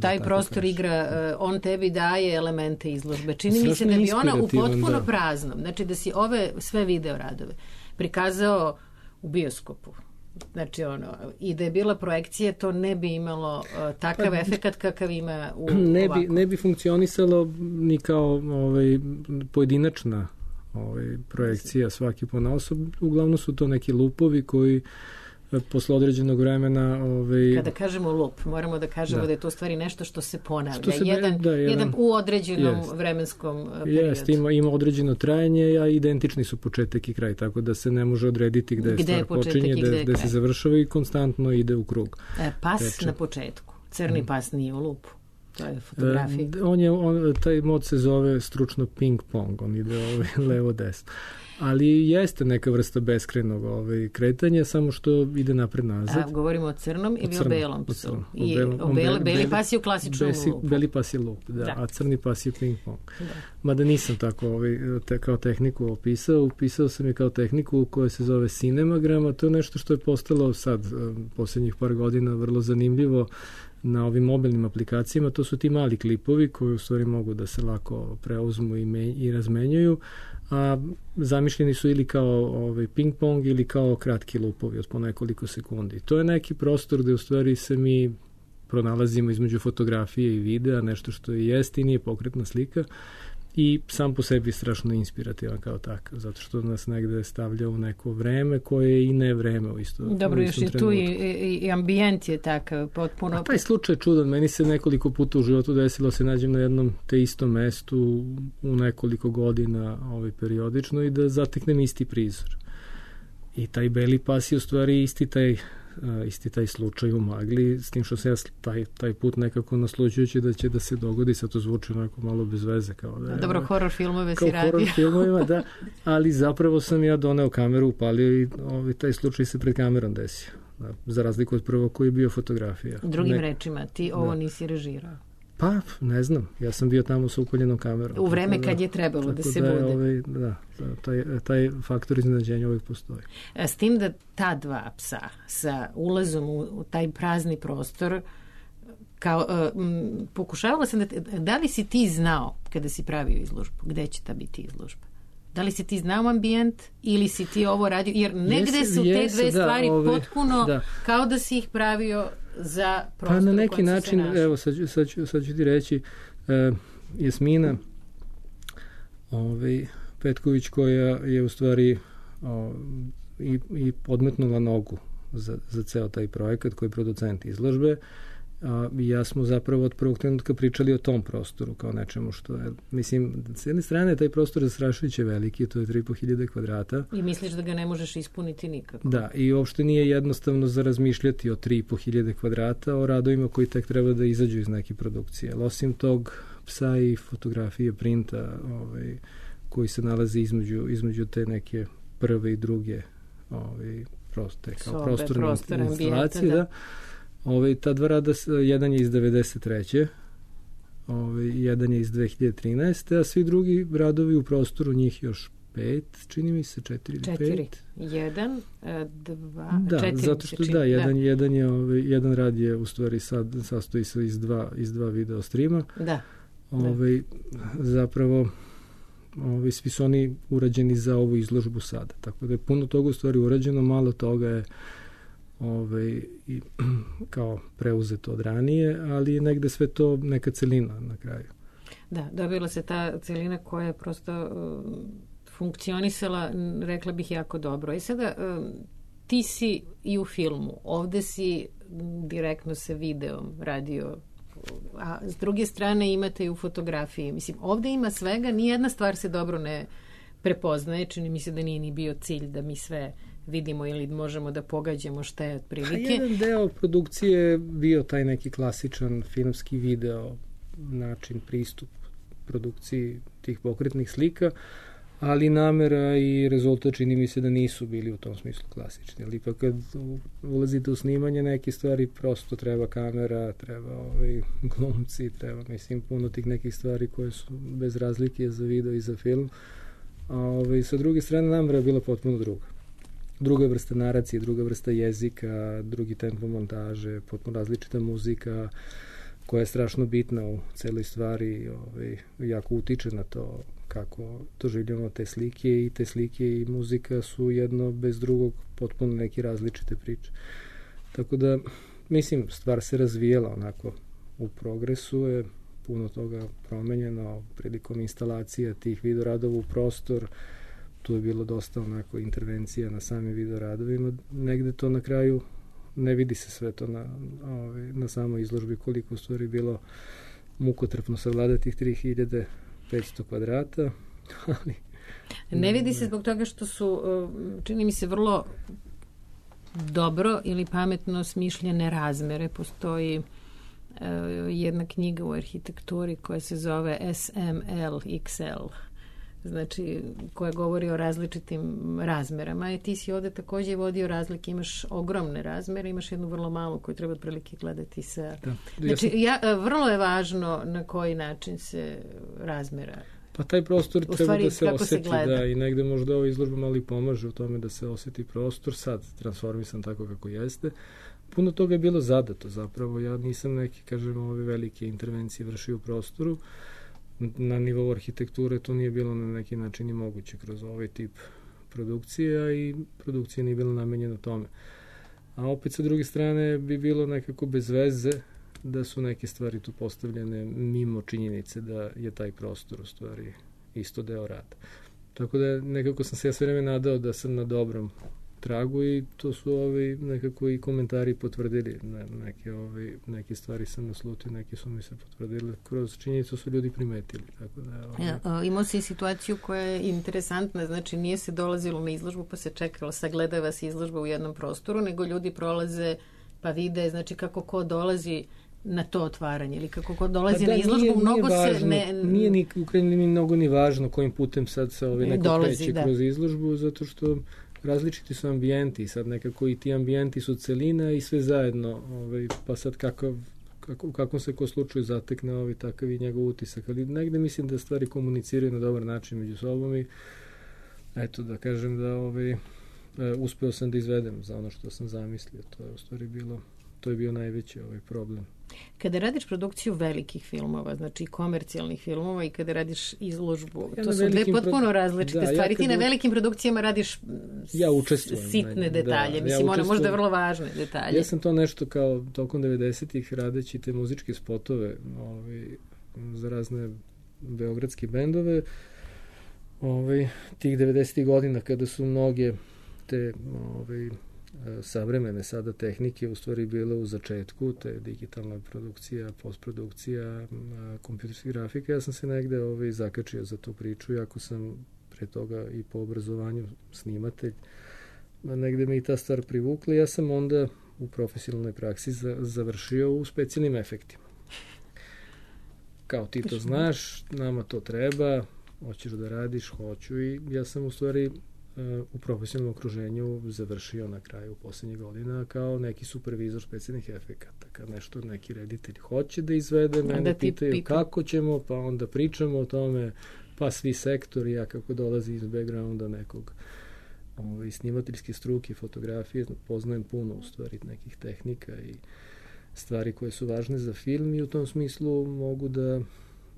Taj prostor igra, on tebi daje elemente izložbe. Čini mi se da bi ona u potpuno praznom, znači da si ove sve video radove prikazao u bioskopu. Znači i da je bila projekcija, to ne bi imalo takav efekat kakav ima u ovako. Ne bi funkcionisalo ni kao pojedinačna projekcija svaki ponaosob. Uglavnom su to neki lupovi koji posle određenog vremena... Kada kažemo lup, moramo da kažemo da je to stvari nešto što se ponavlja. Jedan u određenom vremenskom periodu. Ima određeno trajanje, a identični su početak i kraj, tako da se ne može odrediti gde stvar počinje, gde se završava i konstantno ide u krug. Pas na početku. Crni pas nije u lupu. To je fotografija. Taj mod se zove stručno ping pong, on ide levo-desno. Ali jeste neka vrsta beskrenog kretanja, samo što ide napred-nazad. Govorimo o crnom ili o belom psu? Beli pas je u klasičnom lupu. Beli pas je lup, da, a crni pas je ping pong. Mada nisam tako kao tehniku upisao sam je kao tehniku koja se zove cinemagrama. To je nešto što je postalo sad, posljednjih par godina, vrlo zanimljivo na ovim mobilnim aplikacijama. To su ti mali klipovi koji u stvari mogu da se lako preuzmu i razmenjuju, a zamišljeni su ili kao ping pong ili kao kratki lupovi od po nekoliko sekundi. To je neki prostor gde u stvari se mi pronalazimo između fotografije i videa, nešto što jest i nije pokretna slika i sam po sebi strašno inspirativan kao takav, zato što nas negde stavlja u neko vreme koje je i ne vreme u istom trenutku. Dobro, još i tu i ambijent je takav potpuno... A taj slučaj je čudan, meni se nekoliko puta u životu desilo se nađem na jednom te istom mestu u nekoliko godina periodično i da zateknem isti prizor. I taj beli pas je u stvari isti taj slučaj u magli, s tim što se ja taj put nekako nasluđujući da će da se dogodi, sad to zvuči onako malo bez veze. Dobro, horor filmove si radio. Horor filmovima, da, ali zapravo sam ja doneo kameru, upalio i taj slučaj se pred kamerom desio. Da, za razliku od prvog koji je bio fotografija. Drugim rečima, ti ovo nisi režirao. Pa, ne znam. Ja sam bio tamo sa upaljenom kamerom. U vreme kad je trebalo da se bude. Taj faktor iznenađenja uvijek postoji. S tim da ta dva psa sa ulazom u taj prazni prostor, pokušavala sam da li si ti znao kada si pravio izložbu, gde će ta biti izložba? Da li si ti znao ambijent ili si ti ovo radio? Jer negde su te dve stvari potpuno kao da si ih pravio za prostor. Pa na neki način, evo sad ću ti reći, Jasmina Petković koja je u stvari i podmetnula nogu za ceo taj projekat koji je producent izložbe. Ja smo zapravo od prvog trenutka pričali o tom prostoru kao nečemu što je, mislim, s jedne strane taj prostor zastrašujuće veliki, to je 3.500 kvadrata. I misliš da ga ne možeš ispuniti nikako. Da, i uopšte nije jednostavno za razmišljati o 3.500 kvadrata, o radovima koji tek treba da izađu iz neke produkcije. Osim tog psa i fotografije printa koji se nalazi između te neke prve i druge prostorne instalacije, da. Ta dva rada, jedan je iz 93. Jedan je iz 2013. A svi drugi radovi u prostoru, njih još 5, čini mi se 4 ili 5. 1, 2, da, 4. Zato što jedan rad je u stvari sastoji se iz dva video streama. Da. Zapravo svi su oni urađeni za ovu izložbu sada. Tako da je puno toga u stvari urađeno, malo toga je kao preuzeto od ranije, ali je negde sve to neka celina na kraju. Da, dobila se ta celina koja je prosto funkcionisala, rekla bih, jako dobro. I sada ti si i u filmu, ovde si direktno sa videom radio, a s druge strane imate i u fotografiji. Mislim, ovde ima svega, nijedna stvar se dobro ne prepoznaje. Čini mi se da nije ni bio cilj da mi sve vidimo ili možemo da pogađamo šta je otprilike. Jedan deo produkcije je bio taj neki klasičan filmski video način, pristup produkciji tih pokretnih slika, ali namera i rezultat čini mi se da nisu bili u tom smislu klasični. Ali ipak kad ulazite u snimanje neke stvari, prosto treba kamera, treba glumci, treba, mislim, puno tih nekih stvari koje su bez razlike za video i za film. A sa druge strane, namera je bila potpuno druga. Druga vrsta naracije, druga vrsta jezika, drugi tempo montaže, potpuno različita muzika koja je strašno bitna u celoj stvari, jako utiče na to kako doživljamo te slike, i te slike i muzika su jedno bez drugog potpuno neke različite priče. Tako da, mislim, stvar se razvijela onako u progresu, je puno toga promenjeno prilikom instalacija tih videoradova u prostor. Tu je bilo dosta onako intervencija na samim videoradovima. Negde to na kraju ne vidi se sve to na samoj izložbi, koliko u stvari bilo mukotrpno savladati tih 3500 kvadrata. Ne vidi se zbog toga što su, čini mi se, vrlo dobro ili pametno smišljene razmere. Postoji jedna knjiga u arhitekturi koja se zove SML-XL, znači koja govori o različitim razmerama. I ti si ovde takođe vodio razlike, imaš ogromne razmere, imaš jednu vrlo malu koju treba otprilike gledati sa... Znači, vrlo je važno na koji način se razmera. Pa taj prostor treba da se oseti, da, i negde možda ova izložba malo i pomaže u tome da se oseti prostor, sad transformisan tako kako jeste. Puno toga je bilo zadato zapravo, ja nisam neki, kažem, ove velike intervencije vršio u prostoru. Na nivou arhitekture to nije bilo na neki način i moguće kroz ovaj tip produkcije, a i produkcija nije bila namenjena tome. A opet sa druge strane bi bilo nekako bez veze da su neke stvari tu postavljene mimo činjenice da je taj prostor u stvari isto deo rada. Tako da nekako sam se ja sve vreme nadao da sam na dobrom tragu, i to su nekako i komentari potvrdili. Neke stvari sam naslutio, neke su mi se potvrdili. Kroz činjenicu su ljudi primetili. Tako da, imao si situaciju koja je interesantna, znači nije se dolazilo na izložbu pa se čekalo, sagledava se izložba u jednom prostoru, nego ljudi prolaze pa vide, znači kako ko dolazi na to otvaranje ili kako ko dolazi na izložbu, mnogo se ne... Nije ni u krajnjoj liniji mnogo ni važno kojim putem sad se neko kreće kroz izložbu, zato što različiti su ambijenti i sad nekako i ti ambijenti su celina i sve zajedno, pa sad u kakvom se ko slučaju zatekne takav i njegov utisak, ali negde mislim da stvari komuniciraju na dobar način među sobom i eto da kažem da uspeo sam da izvedem za ono što sam zamislio, to je u stvari to je bio najveći problem. Kada radiš produkciju velikih filmova, znači komercijalnih filmova, i kada radiš izložbu, to su dve potpuno različite stvari. Ti na velikim produkcijama radiš sitne detalje, mislim, one možda vrlo važne detalje. Ja sam to nešto kao tokom 90-ih radeći te muzičke spotove za razne beogradske bendove, tih 90-ih godina kada su mnoge te savremene sada tehnike u stvari bile u začetku, te digitalna produkcija, postprodukcija, kompjuterska grafika. Ja sam se negde zakačio za tu priču, iako sam pre toga i po obrazovanju snimatelj. Negde me i ta stvar privukla. Ja sam onda u profesionalnoj praksi završio u specijalnim efektima. Kao ti to znaš, nama to treba, hoćeš da radiš, hoću, i ja sam u stvari u profesionalnom okruženju završio na kraju poslednjih godina kao neki supervizor specijalnih efekata. Kad nešto neki reditelj hoće da izvede, mene pitaju kako ćemo, pa onda pričamo o tome, pa svi sektori, ja kako dolazi iz backgrounda nekog snimateljske struke, fotografije, poznajem puno u stvari nekih tehnika i stvari koje su važne za film, i u tom smislu mogu da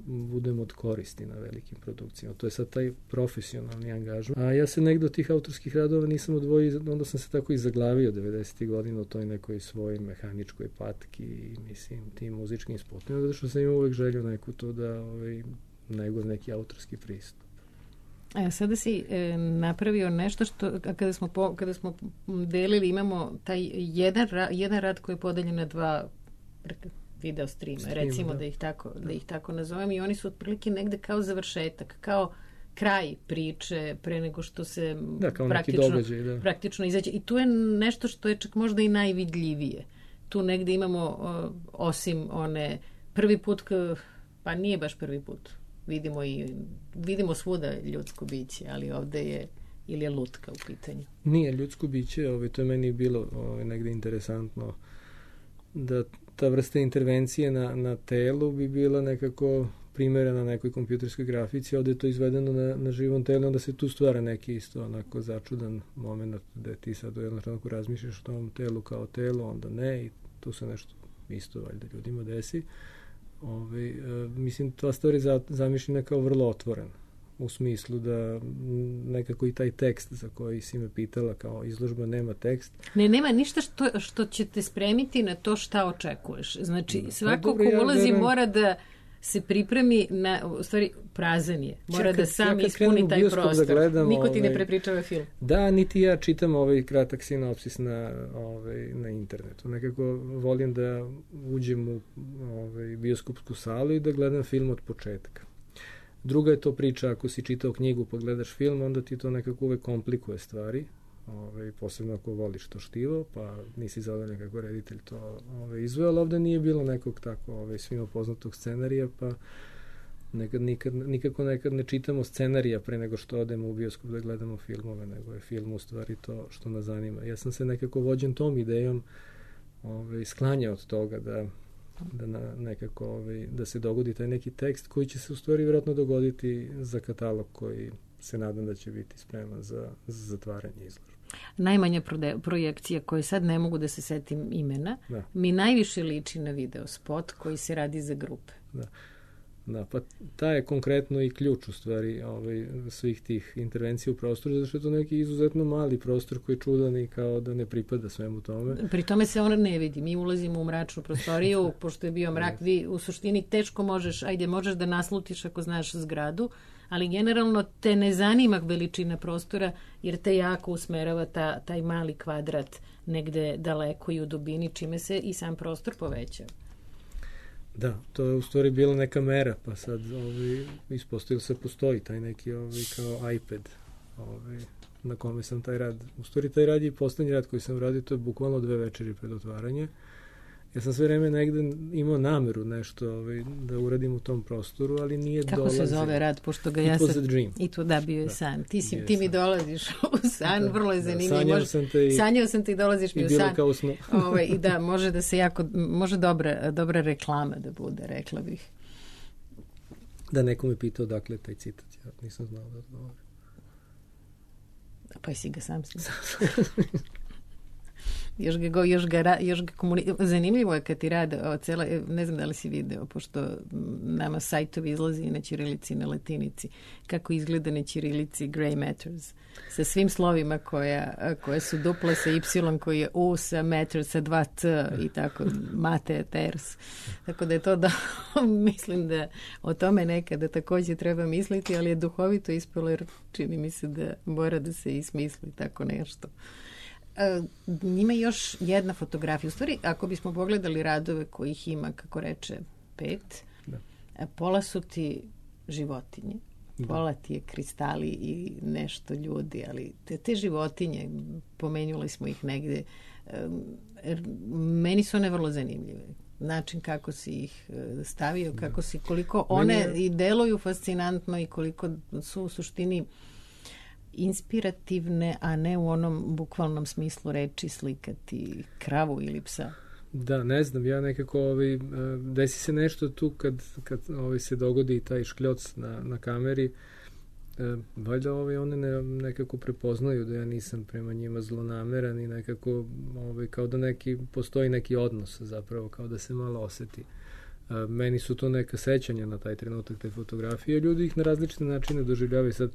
budem od koristi na velikim produkcijama. To je sad taj profesionalni angažman. A ja se negde od tih autorskih radova nisam odvojio, onda sam se tako i zaglavio 90. godina u toj nekoj svojoj mehaničkoj patki i mislim tim muzičkim spotovima, zato što sam imao uvek želju neku to da nego neki autorski pristup. Sada si napravio nešto što kada smo delili, imamo taj jedan rad koji je podeljen na dva video streama, recimo da ih tako nazovem, i oni su otprilike negde kao završetak, kao kraj priče pre nego što se praktično izađe. I tu je nešto što je čak možda i najvidljivije. Tu negde imamo, osim one prvi put, pa nije baš prvi put, vidimo svuda ljudsko biće, ali ovde je ili je lutka u pitanju? Nije ljudsko biće, to je meni bilo negde interesantno, da ta vrsta intervencije na telu bi bila nekako primerena nekoj kompjuterskoj grafici, ovde je to izvedeno na živom telu, onda se tu stvara neki isto onako začudan moment da ti sad u jednom trenutku razmišljaš o tom telu kao telo, onda ne, i tu se nešto isto valjda ljudima desi. Mislim, ta stvar je zamišljena kao vrlo otvorena, u smislu da nekako i taj tekst za koji si me pitala, kao izložba nema tekst. Nema ništa što će te spremiti na to šta očekuješ. Znači, svako ko ulazi mora da se pripremi u stvari prazan je. Mora da sam ispuni taj prostor. Niko ti ne prepričava film. Da, niti ja čitam kratak sinopsis na internetu. Nekako volim da uđem u bioskopsku salu i da gledam film od početka. Druga je to priča, ako si čitao knjigu pa gledaš film, onda ti to nekako uvek komplikuje stvari, posebno ako voliš to štivo, pa nisi zadovoljan kako reditelj to izveo, ali ovde nije bilo nekog tako svima poznatog scenarija, pa nikako ne čitamo scenarija pre nego što odemo u bioskop da gledamo filmove, nego je film u stvari to što nas zanima. Ja sam se nekako vođen tom idejom sklanjao od toga da nekako da se dogodi taj neki tekst koji će se u stvari vjerojatno dogoditi za katalog koji se nadam da će biti spreman za zatvaranje izložbe. Najmanja projekcija koje sad ne mogu da se setim imena, mi najviše liči na video spot koji se radi za grupe. Da, pa ta je konkretno i ključ u stvari svih tih intervencija u prostoru, zato što je to neki izuzetno mali prostor koji je čudan i kao da ne pripada svemu tome. Pri tome se on ne vidi. Mi ulazimo u mračnu prostoriju, pošto je bio mrak, vi u suštini teško možeš da naslutiš ako znaš zgradu, ali generalno te ne zanima veličina prostora, jer te jako usmerava taj mali kvadrat negde daleko i u dubini, čime se i sam prostor poveća. Da, to je u stvari bila neka mera, pa sad ispostavilo se postoji taj neki kao iPad na kome sam taj rad. U stvari taj rad je poslednji rad koji sam radio, to je bukvalno 2 večeri pred otvaranje. Ja sam sve vreme negde imao nameru nešto da uradim u tom prostoru, ali nije dolazio. Kako se zove rad, pošto ga ja sam... It was a dream. I to da, bio je san. Ti mi dolaziš u san, vrlo je zanimljivo. Sanjao sam te i dolaziš mi u san. I bilo kao snu. I da, može da se može dobra reklama da bude, rekla bih. Da, neko me pitao dakle taj citat, ja nisam znao da odgovorim. Pa si ga sam snimao. Zanimljivo je kad ti rade ne znam da li si video, pošto nama sajtovi izlazi i na ćirilici i na latinici, kako izgleda na ćirilici Grey Matters, sa svim slovima koje su dupla, sa Y koji je U, sa Matters, sa 2 T i tako, Mate, Ters. Tako da je to mislim da o tome nekada takođe treba misliti, ali je duhovito ispalo, jer čini mi se da mora da se i smisli tako nešto. Ima još jedna fotografija. U stvari, ako bismo pogledali radove kojih ima, kako reče, 5, pola su ti životinje, pola ti je kristali i nešto ljudi, ali te životinje, pomenuli smo ih negde, meni su one vrlo zanimljive. Način kako si ih stavio, koliko one i deluju fascinantno i koliko su u suštini inspirativne, a ne u onom bukvalnom smislu reči slikati kravu ili psa. Da, ne znam, ja nekako desi se nešto tu kad se dogodi taj škljoc na kameri, valjda one nekako prepoznaju da ja nisam prema njima zlonameran i nekako kao da postoji neki odnos zapravo, kao da se malo oseti. Meni su to neka sećanja na taj trenutak te fotografije, ljudi ih na različite načine doživljavaju. Sad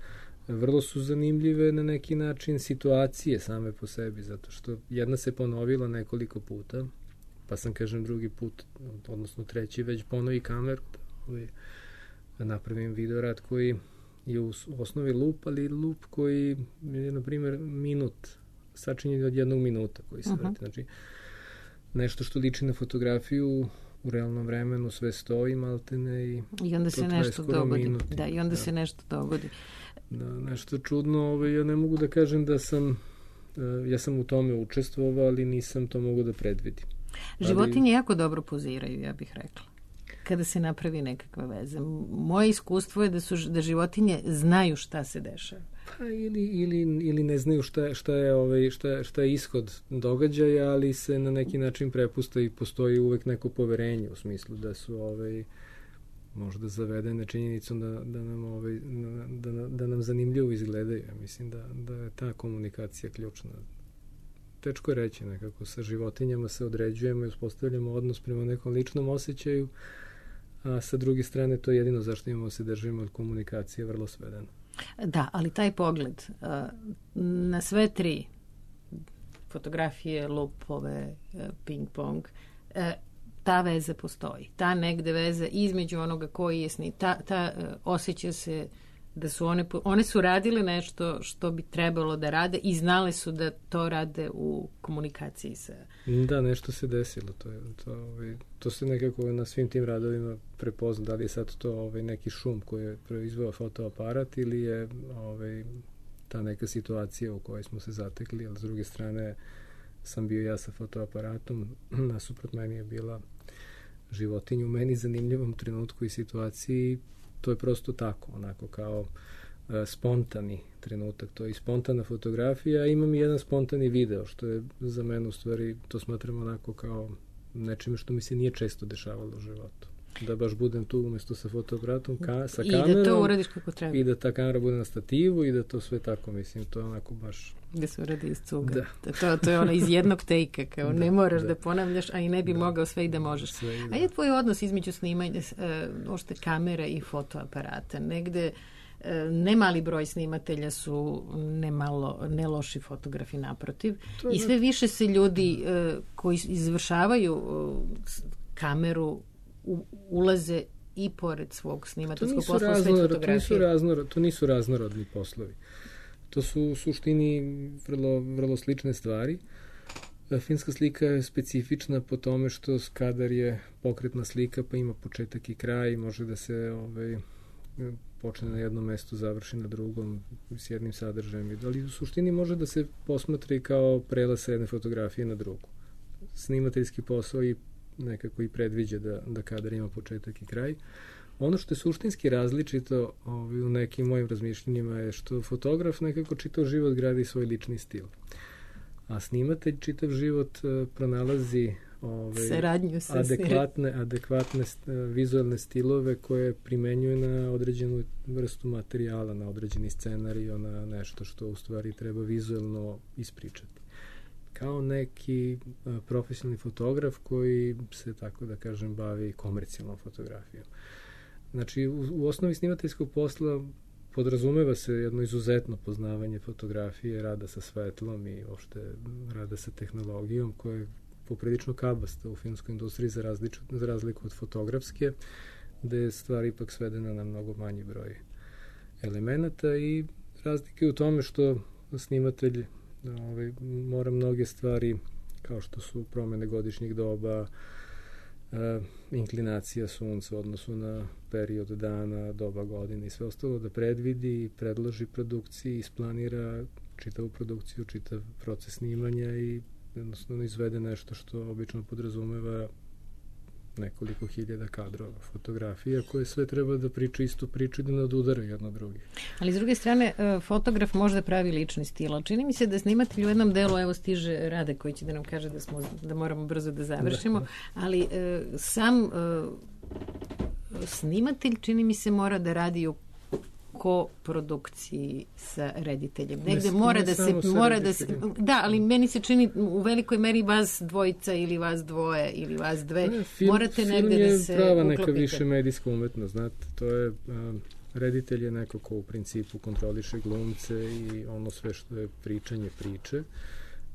vrlo su zanimljive na neki način situacije same po sebi, zato što jedna se ponovila nekoliko puta, pa sam, kažem, drugi put, odnosno treći, već ponovi kameru, da napravim videorad koji je u osnovi lup, ali lup koji je, na primjer, sačinjen od 1 minuta koji se vrati. Znači, nešto što liči na fotografiju u realnom vremenu sve stoji maltene i onda se nešto dogodi. I onda se nešto dogodi. nešto čudno, ja ne mogu da kažem da sam, ja sam u tome učestvovao, ali nisam to mogu da predvidim. Životinje jako dobro poziraju, ja bih rekla, kada se napravi nekakva veza. Moje iskustvo je da životinje znaju šta se dešava. Pa ili ne znaju šta je ishod događaja, ali se na neki način prepusta i postoji uvek neko poverenje u smislu da su možda zavedene činjenicom da nam zanimljivo izgledaju. Ja mislim da je ta komunikacija ključna. Teško je reći nekako, sa životinjama se određujemo i uspostavljamo odnos prema nekom ličnom osjećaju, a sa druge strane to je jedino zašto imamo se držimo od komunikacije vrlo svedeno. Da, ali taj pogled na sve tri fotografije, lupove, ping-pong, ta veza postoji. Ta negde veza između onoga koji je ta osjeća se da su one su radile nešto što bi trebalo da rade i znale su da to rade u komunikaciji sa... Da, nešto se desilo. To se nekako na svim tim radovima prepozna. Da li je sad to neki šum koji je proizveo fotoaparat ili je ta neka situacija u kojoj smo se zatekli, ali s druge strane sam bio ja sa fotoaparatom, nasuprot meni je bila životinja u meni zanimljivom trenutku i situaciji. To je prosto tako, onako kao spontani trenutak, to je i spontana fotografija, imam i jedan spontani video, što je za mene u stvari, to smatram onako kao nečime što mi se nije često dešavalo u životu. Da baš budem tu umjesto sa fotoaparatom, sa kamerom. I da to uradiš kako treba. I da ta kamera bude na stativu i da to sve tako, mislim, to je onako baš... Da se uradi iz cuga. Da. To je ono iz jednog tejka, kao ne moraš da ponavljaš, a i ne bi mogao sve i da možeš. A je tvoj odnos između snimanja ošte kamere i fotoaparata? Negde ne mali broj snimatelja su ne loši fotografi, naprotiv. I sve više se ljudi koji izvršavaju kameru ulaze i pored svog snimateljskog posla sve fotografije. To nisu raznorodni poslovi. To su u suštini vrlo slične stvari. Filmska slika je specifična po tome što kadar je pokretna slika, pa ima početak i kraj i može da se počne na jednom mestu, završi na drugom s jednim sadržajem. Ali u suštini može da se posmatra i kao prelaz s jedne fotografije na drugu. Snimateljski posao i nekako i predviđa da kadar ima početak i kraj. Ono što je suštinski različito u nekim mojim razmišljenjima je što fotograf nekako čitav život gradi svoj lični stil. A snimatelj čitav život pronalazi adekvatne vizualne stilove koje primenjuje na određenu vrstu materijala, na određeni scenarij, na nešto što u stvari treba vizualno ispričati. Kao neki profesionalni fotograf koji se, tako da kažem, bavi komercijalnom fotografijom. Znači, u osnovi snimateljskog posla podrazumeva se jedno izuzetno poznavanje fotografije, rada sa svetlom i uopšte rada sa tehnologijom koja je poprilično kabasta u filmskoj industriji za razliku od fotografske, gde je stvar ipak svedena na mnogo manji broj elemenata i razlike u tome što snimatelj mora mnoge stvari, kao što su promene godišnjih doba, inklinacija sunca u odnosu na period dana, doba godine i sve ostalo, da predvidi, predloži produkciji, isplanira čitavu produkciju, čitav proces snimanja i jednostavno izvede nešto što obično podrazumeva nekoliko hiljada kadrova, fotografija koje sve treba da priča istu priču i da nadudaraju jedno drugi. Ali s druge strane, fotograf može da pravi lični stil, ali čini mi se da snimatelj u jednom delu, evo stiže Rade koji će da nam kaže da moramo brzo da završimo, ali sam snimatelj čini mi se mora da radi u koprodukciji sa rediteljem. Negde mora da se da, ali meni se čini u velikoj meri vas dvojica ili vas dvoje ili vas dve. Morate negde da se uklopite. Film je prava neka više medijska umetnost, znate, to je reditelj je neko ko u principu kontroliše glumce i ono sve što je pričanje priče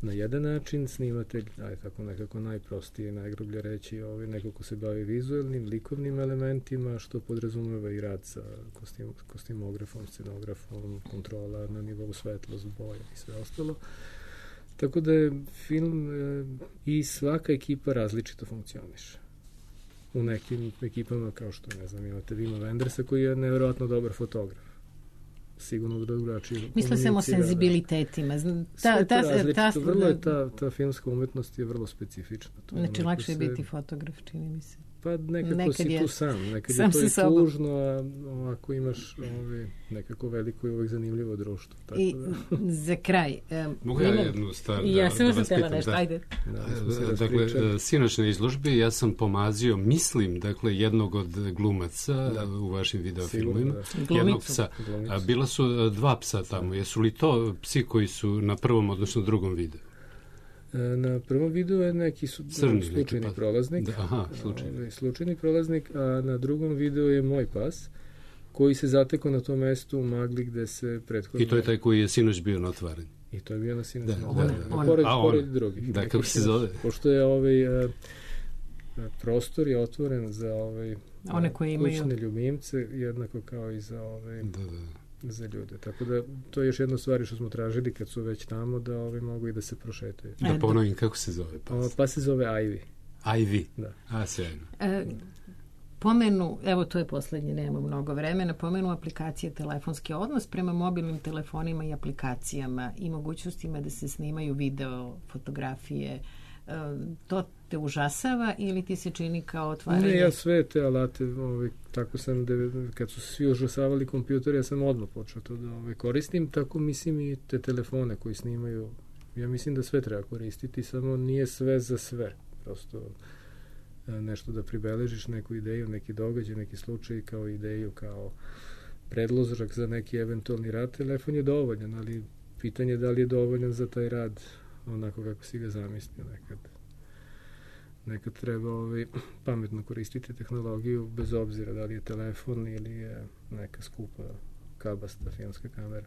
na jedan način, snimatelj, tako nekako najprostije, najgrublje reći, neko ko se bavi vizualnim, likovnim elementima, što podrazumeva i rad sa kostimografom, scenografom, kontrola na nivou svetlost, boja i sve ostalo. Tako da je film i svaka ekipa različito funkcioniše. U nekim ekipama, kao što, ne znam, imate Wima Wendersa koji je nevjerojatno dobar fotograf. sigurno drugačije. Misle sam o senzibilitetima. Sve to različito. Vrlo je ta filmska umetnost je vrlo specifična. Znači, lakše je biti fotograf, čini mi se. Pa nekako si tu sam. Nekad je to i tužno, a ovako imaš nekako veliko i uvek zanimljivo društvo. Tako I za kraj... Mogu ja jednu stvar ja sam vas pitam? nešto, ajde. Dakle, sinoć na izložbi ja sam pomazio, mislim, dakle, jednog od glumaca u vašim videofilmima. Jednog psa. Bila su dva psa tamo. Jesu li to psi koji su na prvom, odnosno drugom videu? Na prvom videu je neki slučajni prolaznik. Slučajni prolaznik, a na drugom videu je moj pas, koji se zatekao na tom mestu u magli gde se prethodno... I to je taj koji je sinoć bio na otvaranju. I to je bio na sinoć. Pored drugih. Da, kako se zove? Pošto je prostor je otvoren za one koji imaju kućne ljubimce, jednako kao i za za ljude. Tako da to je još jedna stvar što smo tražili kad su već tamo, da mogu i da se prošetaju. Da ponovim, kako se zove pas? Pas se zove Ivy. Ivy? Da. A, sjajno. Pomenu, evo to je poslednje, nemamo mnogo vremena, pomenu aplikacije telefonski odnos prema mobilnim telefonima i aplikacijama i mogućnostima da se snimaju video, fotografije. To te užasava ili ti se čini kao otvaranje? Ne, ja sve te alate, tako sam, kad su svi užasavali kompjuter, ja sam odmah počeo to da koristim, tako mislim i te telefone koji snimaju. Ja mislim da sve treba koristiti, samo nije sve za sve. Prosto nešto da pribeležiš, neku ideju, neki događaj, neki slučaj, kao ideju, kao predložak za neki eventualni rad. Telefon je dovoljan, ali pitanje je da li je dovoljan za taj rad onako kako si ga zamislio nekad. Nekad treba pametno koristiti tehnologiju, bez obzira da li je telefon ili je neka skupa kabasta filmska kamera.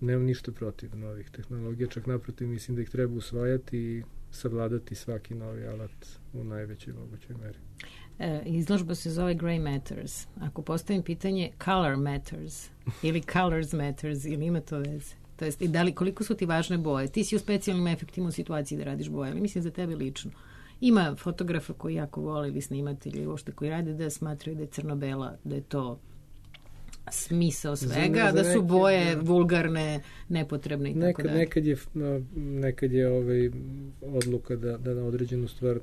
Nemam ništa protiv novih tehnologija, čak naprotiv mislim da ih treba usvajati i savladati svaki novi alat u najvećoj mogućoj meri. Izložba se zove Gray Matters. Ako postavim pitanje Color Matters ili Colors Matters, ili ima to veze? To jest, i da li, koliko su ti važne boje? Ti si u specijalnim efektima u situaciji da radiš boje, ali mislim za tebe lično. Ima fotografa koji jako vole ili snimatelji uopšte koji rade da smatraju da je crno-bela, da je to smisao svega, da su boje vulgarne, nepotrebne i tako dalje. Nekad je odluka da na određenu stvar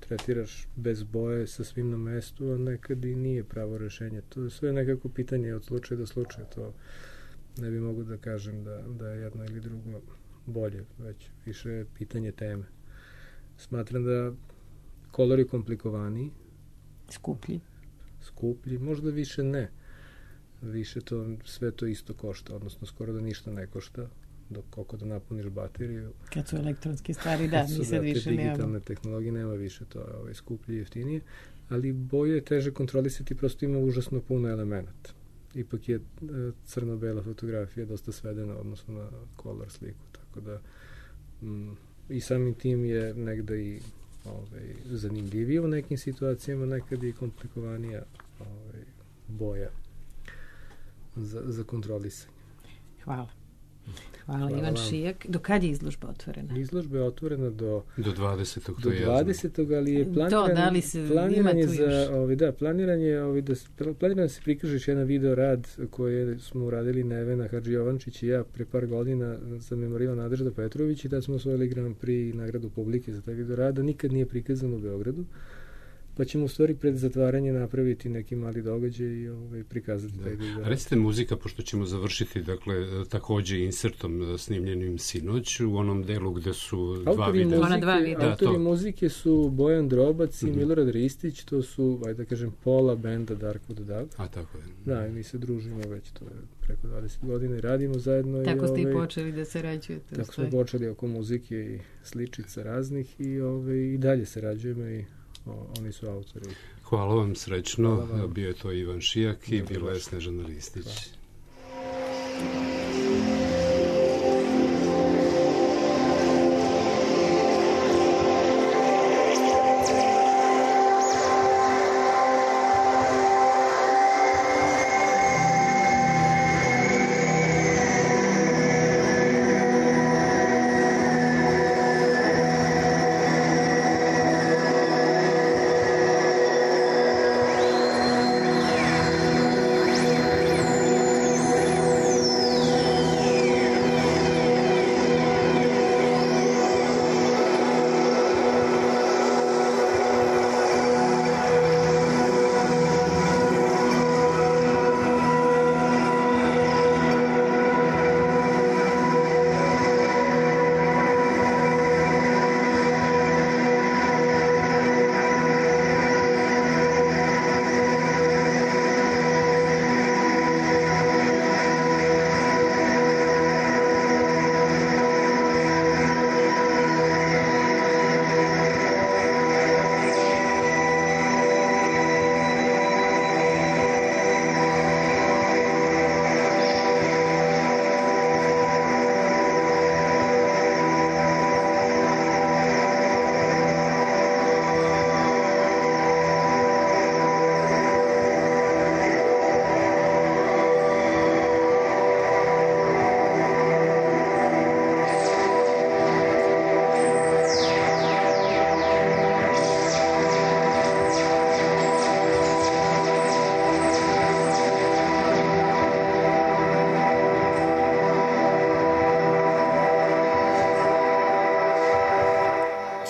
tretiraš bez boje sa svim na mestu, a nekad i nije pravo rešenje. To je sve nekako pitanje od slučaja do slučaja. To ne bi mogu da kažem da je jedno ili drugo bolje, već više je pitanje teme. Smatram da kolor je komplikovaniji. Skuplji, možda više ne. Više sve to isto košta, odnosno skoro da ništa ne košta, dok koliko da napuniš bateriju. Kad su elektronske stvari, mi sad više nemamo. Digitalne tehnologije nema više, to je skuplje i jeftinije, ali boje je teže kontrolisati, prosto ima užasno puno elemenata. Ipak je crno-bela fotografija dosta svedena odnosno na color sliku, tako da i samim tim je negde i zanimljivije u nekim situacijama, nekad i komplikovanija boja za kontrolisanje. Hvala. Hvala Ivan Šijak. Do kad je izložba otvorena? Izložba je otvorena do 20. Do 20. ali je planiran da se prikaže jedan video rad koji smo uradili Nevena Hadži Jovančić i ja pre par godina za memorijal Nadežda Petrović i da smo osvojili Grand Prix i nagradu publike za taj video rad, nikad nije prikazan u Beogradu. Pa ćemo u stvari pred zatvaranje napraviti neki mali događaj i prikazati taj video. Recite muzika, pošto ćemo završiti, dakle, takođe insertom snimljenim sinoć, u onom delu gde su dva videa. Autori muzike su Bojan Drobac i Milorad Ristić, to su, da kažem, pola benda Darkwood Dub. A, tako je. Da, mi se družimo već, to je preko 20 godina i radimo zajedno. Tako ste i počeli da sarađujete. Tako smo počeli oko muzike i sličica raznih i dalje sarađujemo i oni su autori. Hvala vam, srećno. Bio je to Ivan Šijak i bila je Snežana Ristić.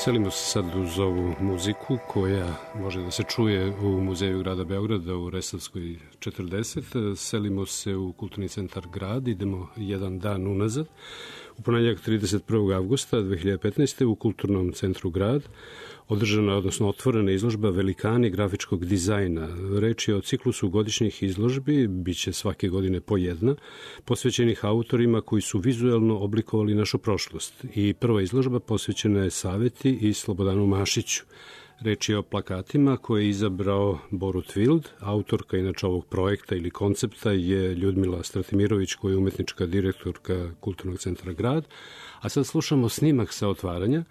Selimo se sad uz ovu muziku koja može da se čuje u Muzeju grada Beograda u Resavskoj 40. Selimo se u Kulturni centar Grad, idemo jedan dan unazad. U ponedjeljak 31. avgusta 2015. u Kulturnom centru Grad održana, odnosno otvorena izložba Velikani grafičkog dizajna. Reč je o ciklusu godišnjih izložbi, bit će svake godine po jedna, posvećenih autorima koji su vizuelno oblikovali našu prošlost. I prva izložba posvećena je Saveti i Slobodanu Mašiću. Reč je o plakatima koje je izabrao Borut Wild. Autorka inače ovog projekta ili koncepta je Ljudmila Stratimirović, koja je umetnička direktorka Kulturnog centra Grad. A sad slušamo snimak sa otvaranja.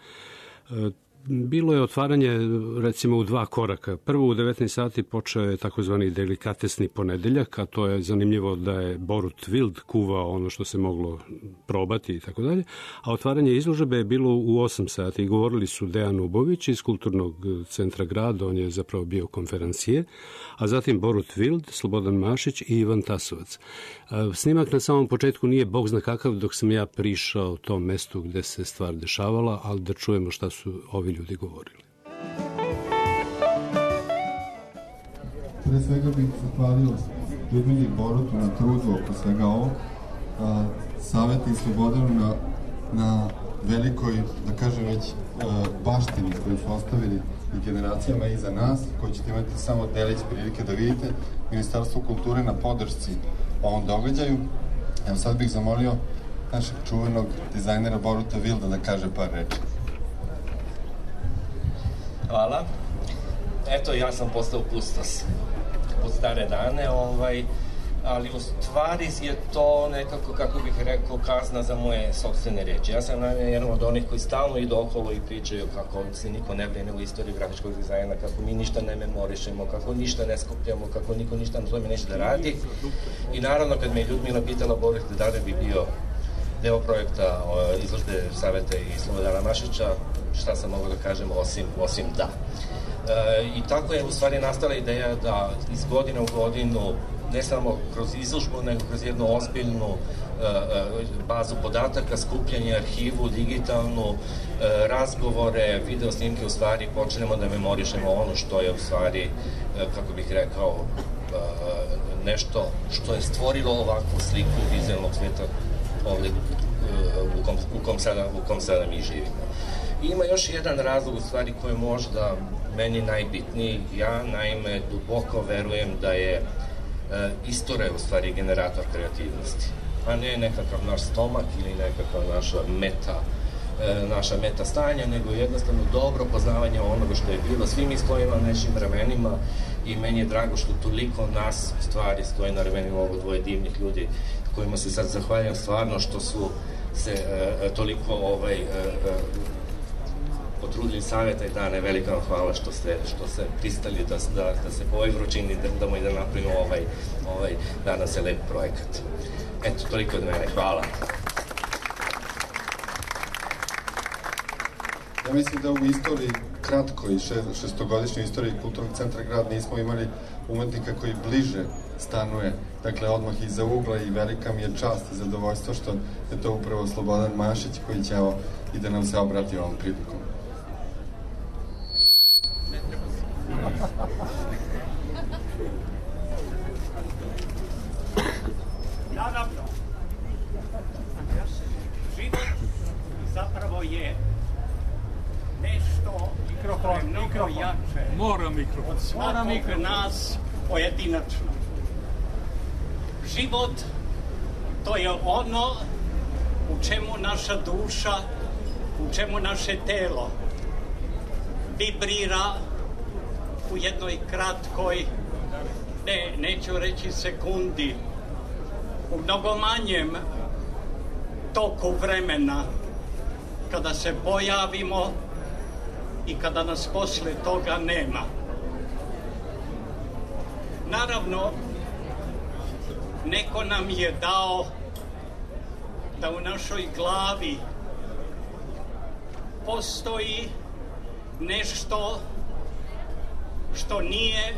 Bilo je otvaranje recimo u dva koraka. Prvo u 19 sati počeo je takozvani delikatesni ponedeljak, a to je zanimljivo da je Borut Wild kuvao ono što se moglo probati i tako dalje. A otvaranje izložbe je bilo u 8 sati i govorili su Dejan Ubović iz Kulturnog centra Grada, on je zapravo bio konferencije, a zatim Borut Wild, Slobodan Mašić i Ivan Tasovac. Snimak na samom početku nije bog zna kakav dok sam ja prišao tom mestu gde se stvar dešavala, ali da čujemo šta su ovi ljudi govorili. Pre svega bih zahvalio Ljudmili i Borutu na trudu oko svega ovo, Saveti i Slobodanu na velikoj, da kažem već, baštini koju su ostavili i generacijama iza nas, koji ćete imati samo delić prilike da vidite, Ministarstvo kulture na podršci ovom događaju. Evo sad bih zamolio našeg čuvenog dizajnera Boruta Wilda da kaže par reči. Hvala. Eto, ja sam postao kustos pod stare dane, ali u stvari je to nekako, kako bih rekao, kazna za moje sopstvene reči. Ja sam jedan od onih koji stalno idu okolo i pričaju kako se niko ne brine u istoriji grafičkog dizajna, kako mi ništa ne memorišemo, kako ništa ne skupljamo, kako niko ništa na tome neće da radi. I naravno, kad me je Ljudmila pitala Boris da li bi bio deo projekta izložbe Saveta i Slobodana Mašića, šta sam mogao da kažem osim da. I tako je u stvari nastala ideja da iz godine u godinu, ne samo kroz izložbu, nego kroz jednu ozbiljnu bazu podataka, skupljanje arhivu, digitalnu, razgovore, video snimke, u stvari počnemo da memorišemo ono što je u stvari, kako bih rekao, nešto što je stvorilo ovakvu sliku vizualnog sveta ovde u kom sada mi živimo. I ima još jedan razlog u stvari koji je možda meni najbitniji. Ja naime duboko verujem da je istorija u stvari generator kreativnosti, a ne nekakav naš stomak ili nekakav naša meta stanja, nego jednostavno dobro poznavanje onoga što je bilo. Svi mi stojimo na nečim ramenima i meni je drago što toliko nas u stvari stoji na ramenima ovo dvoje divnih ljudi kojima se sad zahvaljam stvarno što su se toliko potrudili Saveta i dane. Velika vam hvala što ste pristali da se po ovoj vrućini damo i da napravimo nadam se lep projekat. Eto, toliko od mene. Hvala. Ja mislim da u istoriji, kratkoj šestogodišnjoj istoriji Kulturnog centra Grad nismo imali umetnika koji bliže stanuje, dakle odmah iza ugla, i velika mi je čast i zadovoljstvo što je to upravo Slobodan Mašić koji će i da nam se obrati ovom prilikom. Naravno, život zapravo je nešto mnogo jače od svakog nas pojedinačno. Život, to je ono u čemu naša duša, u čemu naše telo vibrira u jednoj kratkoj, neću reći sekundi, u mnogo manjem toku vremena, kada se pojavimo i kada nas posle toga nema. Naravno, neko nam je dao da u našoj glavi postoji nešto što nije,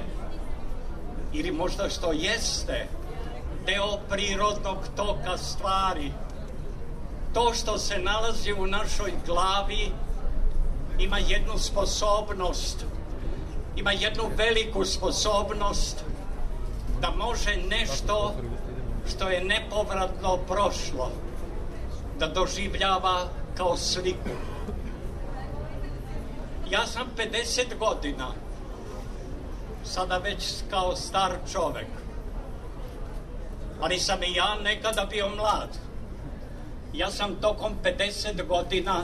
ili možda što jeste, deo prirodnog toka stvari. To što se nalazi u našoj glavi ima jednu sposobnost, ima jednu veliku sposobnost da može nešto što je nepovratno prošlo da doživljava kao sliku. Ja sam 50 godina, sada već kao star čovek, ali sam i ja nekada bio mlad. Ja sam tokom 50 godina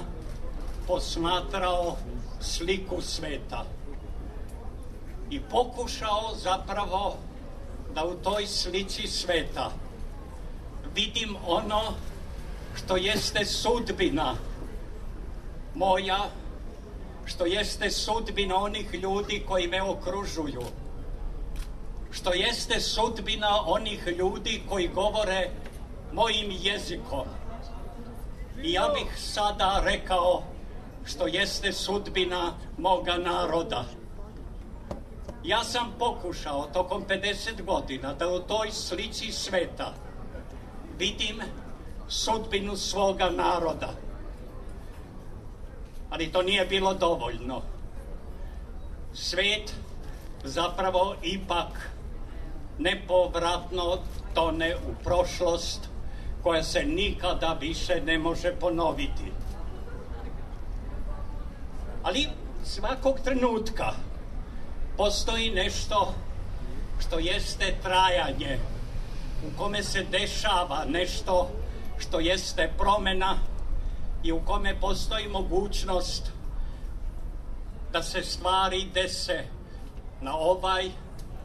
posmatrao sliku sveta i pokušao zapravo da u toj slici sveta vidim ono što jeste sudbina moja, što jeste sudbina onih ljudi koji me okružuju, što jeste sudbina onih ljudi koji govore mojim jezikom. I ja bih sada rekao što jeste sudbina moga naroda. Ja sam pokušao tokom 50 godina da u toj slici sveta vidim sudbinu svoga naroda. Ali to nije bilo dovoljno. Svet zapravo ipak nepovratno tone u prošlost koja se nikada više ne može ponoviti. Ali svakog trenutka postoji nešto što jeste trajanje, u kome se dešava nešto što jeste promena i u kome postoji mogućnost da se stvari dese na ovaj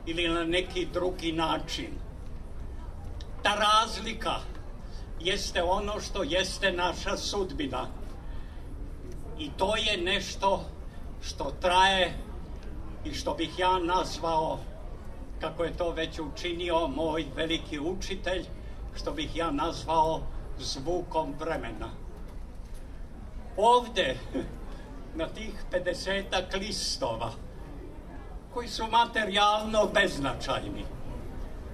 ili na neki drugi način. Ta razlika jeste ono što jeste naša sudbina. I to je nešto što traje i što bih ja nazvao, kako je to već učinio moj veliki učitelj, što bih ja nazvao zvukom vremena. Ovde, na tih 50-ak listova, koji su materijalno beznačajni,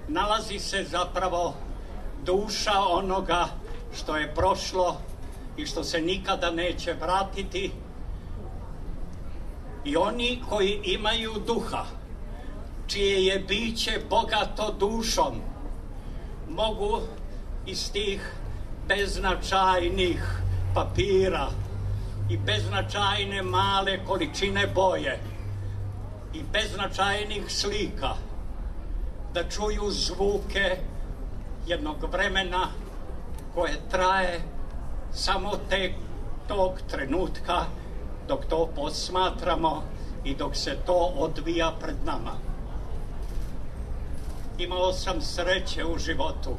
nalazi se zapravo duša onoga što je prošlo i što se nikada neće vratiti. I oni koji imaju duha, čije je biće bogato dušom, mogu iz tih beznačajnih papira i beznačajne male količine boje i beznačajnih slika da čuju zvuke jednog vremena koje traje samo tog trenutka dok to posmatramo i dok se to odvija pred nama. Imao sam sreće u životu.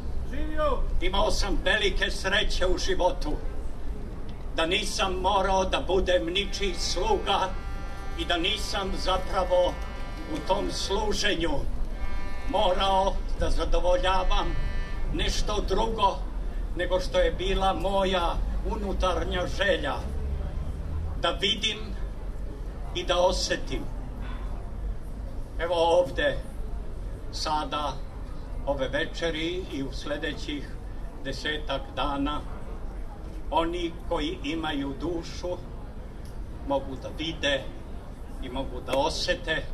Imao sam velike sreće u životu. Da nisam morao da budem ničiji sluga i da nisam zapravo u tom služenju morao da zadovoljavam nešto drugo nego što je bila moja unutarnja želja. Da vidim i da osetim. Evo ovde, sada, ove večeri i u sledećih 10-ak dana, oni koji imaju dušu mogu da vide i mogu da osete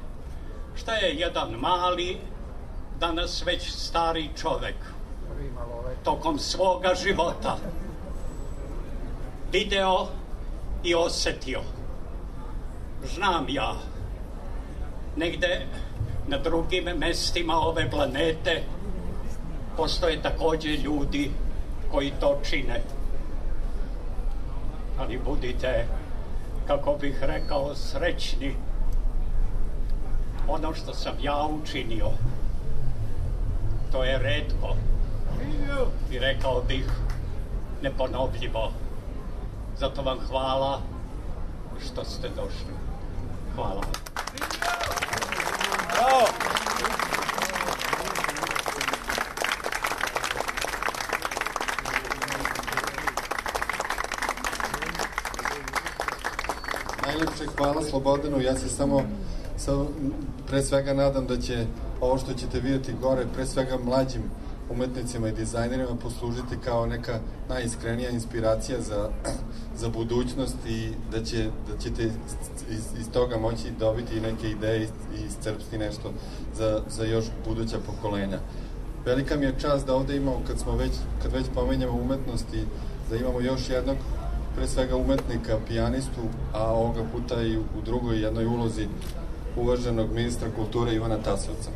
šta je jedan mali, danas već stari čovek tokom svoga života video i osetio. Znam ja, negde na drugim mestima ove planete postoje takođe ljudi koji to čine. Ali budite, kako bih rekao, srećni. Ono što sam ja učinio, to je retko i rekao bih neponovljivo. Zato vam hvala što ste došli. Hvala vam. Bravo! Najlepše hvala Slobodanu. Ja se samo pre svega nadam da će ovo što ćete vidjeti gore, pre svega mlađim umetnicima i dizajnerima poslužiti kao neka najiskrenija inspiracija za budućnost i da ćete iz toga moći dobiti neke ideje i iscrpiti nešto za još buduća pokolenja. Velika mi je čast da ovde imamo, kad već pomenjamo umetnosti, da imamo još jednog, pre svega umetnika, pijanistu, a ovoga puta i u drugoj jednoj ulozi uvaženog ministra kulture Ivana Tasovca.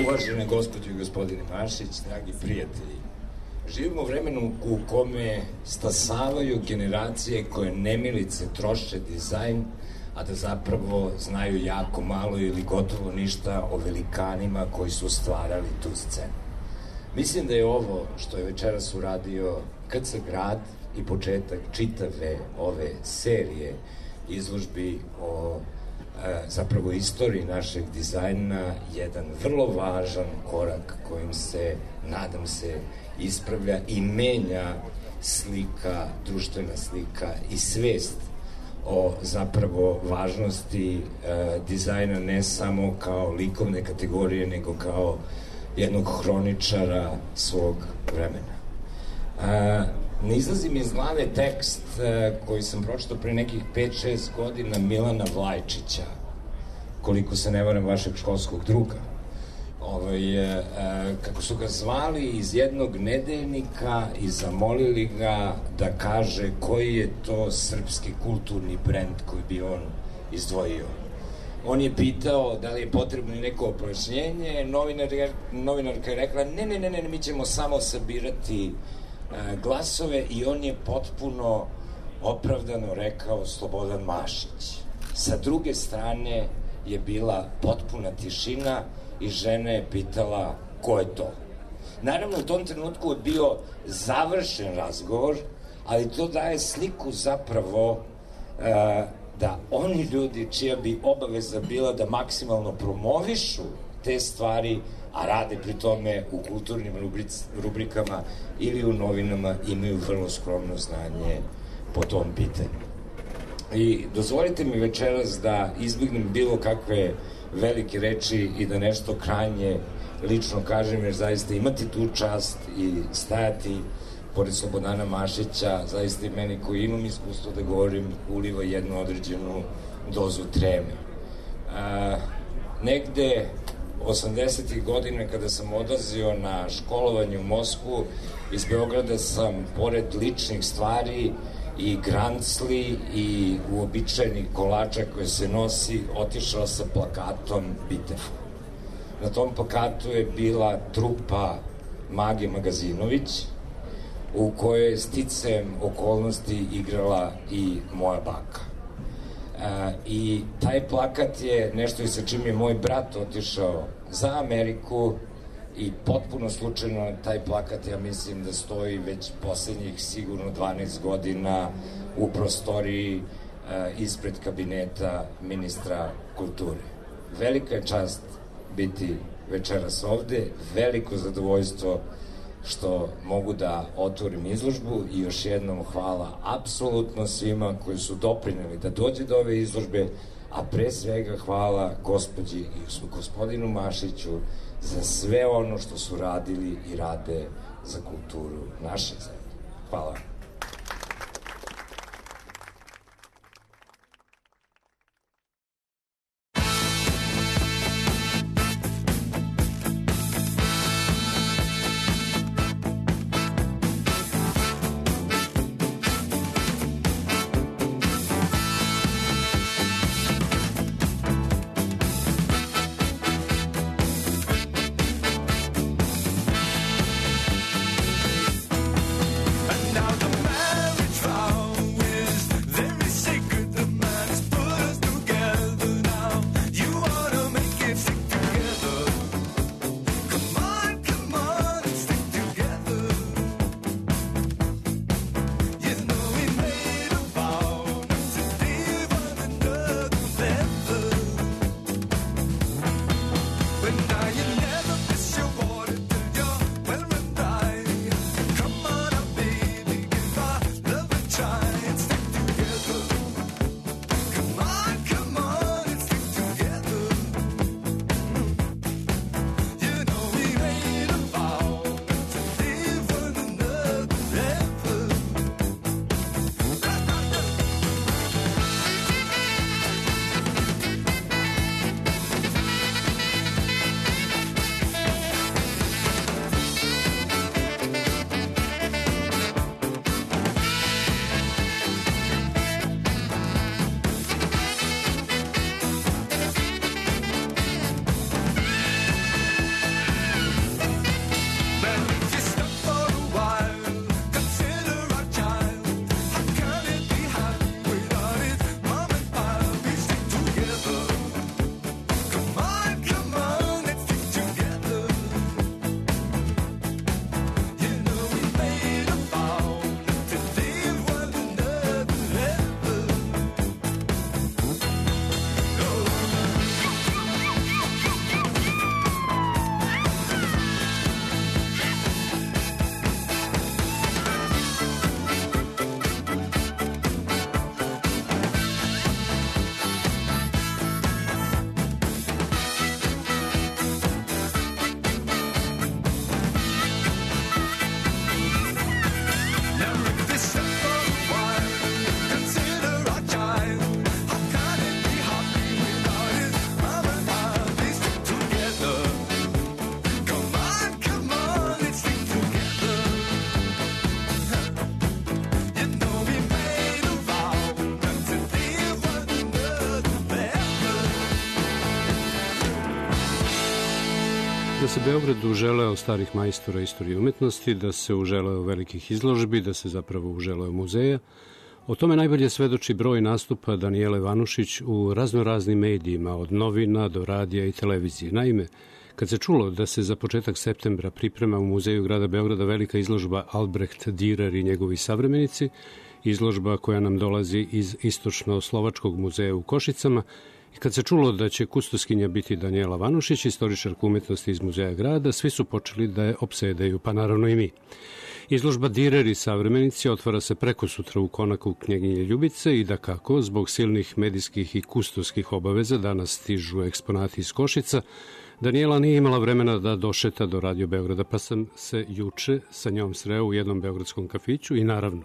Uvažene gospođe i gospodine Mašić, dragi prijatelji, živimo u vremenu u kome stasavaju generacije koje nemilice troše dizajn, a da zapravo znaju jako malo ili gotovo ništa o velikanima koji su stvarali tu scenu. Mislim da je ovo što je večeras uradio KC Grad i početak čitave ove serije izložbi o zapravo istoriji našeg dizajna jedan vrlo važan korak kojim se, nadam se, ispravlja i menja slika, društvena slika i svest o zapravo važnosti dizajna ne samo kao likovne kategorije, nego kao jednog hroničara svog vremena. Ne izlazi mi iz glave tekst koji sam pročitao pre nekih 5-6 godina Milana Vlajčića, koliko se ne varam vašeg školskog druga. Kako su ga zvali iz jednog nedeljnika i zamolili ga da kaže koji je to srpski kulturni brend koji bi on izdvojio. On je pitao da li je potrebno neko pojašnjenje, novinarka je rekla ne, mi ćemo samo sabirati glasove i on je potpuno opravdano rekao Slobodan Mašić. Sa druge strane je bila potpuna tišina i žena je pitala ko je to. Naravno, u tom trenutku je bio završen razgovor, ali to daje sliku zapravo da oni ljudi čija bi obaveza bila da maksimalno promovišu te stvari, a rade pri tome u kulturnim rubrikama ili u novinama, imaju vrlo skromno znanje po tom pitanju. I dozvolite mi večeras da izbignem bilo kakve velike reči i da nešto krajnje lično kažem, jer zaista imati tu čast i stajati pored Slobodana Mašića, zaista i meni koji imam iskustvo da govorim, uliva jednu određenu dozu treme. Negde 80. godina kada sam odlazio na školovanje u Moskvu, iz Beograda sam pored ličnih stvari i grancli i uobičajenih kolača koje se nosi, otišao sa plakatom Bitefa. Na tom plakatu je bila trupa Mage Magazinović, u kojoj je sticajem okolnosti igrala i moja baka. I taj plakat je nešto i sa čim je moj brat otišao za Ameriku i potpuno slučajno taj plakat, ja mislim da stoji već poslednjih sigurno 12 godina u prostoriji ispred kabineta ministra kulture. Velika je čast biti večeras ovde, veliko zadovoljstvo što mogu da otvorim izložbu i još jednom hvala apsolutno svima koji su doprineli da dođe do ove izložbe, a pre svega hvala gospođi i gospodinu Mašiću za sve ono što su radili i rade za kulturu naše zemlje. Hvala. Now the Da se Beograd uželeo starih majstora istorije umetnosti, da se uželeo velikih izložbi, da se zapravo uželeo muzeja. O tome najbolje svedoči broj nastupa Danijele Vanušić u raznoraznim medijima, od novina do radija i televizije. Naime, kad se čulo da se za početak septembra priprema u Muzeju grada Beograda velika izložba Albrecht Dürer i njegovi savremenici, izložba koja nam dolazi iz Istočno-Slovačkog muzeja u Košicama, i kad se čulo da će kustoskinja biti Danijela Vanušić, istoričarka umetnosti iz Muzeja grada, svi su počeli da je opsedaju, pa naravno i mi. Izložba Dürer i savremenici otvara se preko sutra u konaku Knjeginje Ljubice i da kako, zbog silnih medijskih i kustoskih obaveza, danas stižu eksponati iz Košica, Danijela nije imala vremena da došeta do Radio Beograda, pa sam se juče sa njom sreo u jednom beogradskom kafiću i naravno,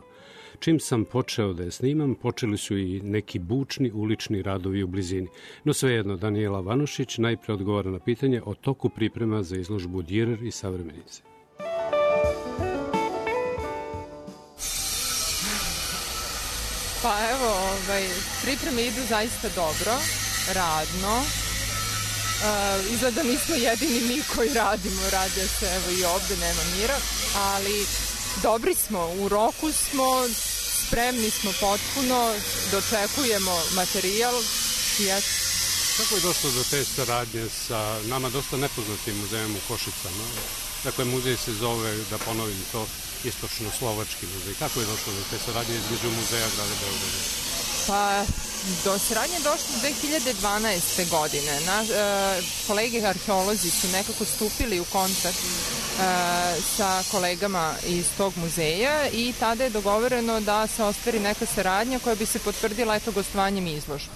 čim sam počeo da je snimam, počeli su i neki bučni ulični radovi u blizini. No svejedno, Danijela Vanušić najpre odgovara na pitanje o toku priprema za izložbu Dürer i savremenici. Pa evo, pripreme idu zaista dobro, radno. Izgleda nismo jedini mi koji radimo, radi se evo i ovde, nema mira, ali dobri smo, u roku smo, spremni smo potpuno, dočekujemo materijal i eto. Kako je došlo do te saradnje sa nama dosta nepoznatim muzejom u Košicama? Dakle, muzej se zove, da ponovim to, Istočno-Slovački muzej. Kako je došlo do te saradnje između Muzeja grada Beograda? Pa, do saradnje je došlo 2012. godine. Kolege arheolozi su nekako stupili u kontakt sa kolegama iz tog muzeja i tada je dogovoreno da se ostvari neka saradnja koja bi se potvrdila gostovanjem izložbe.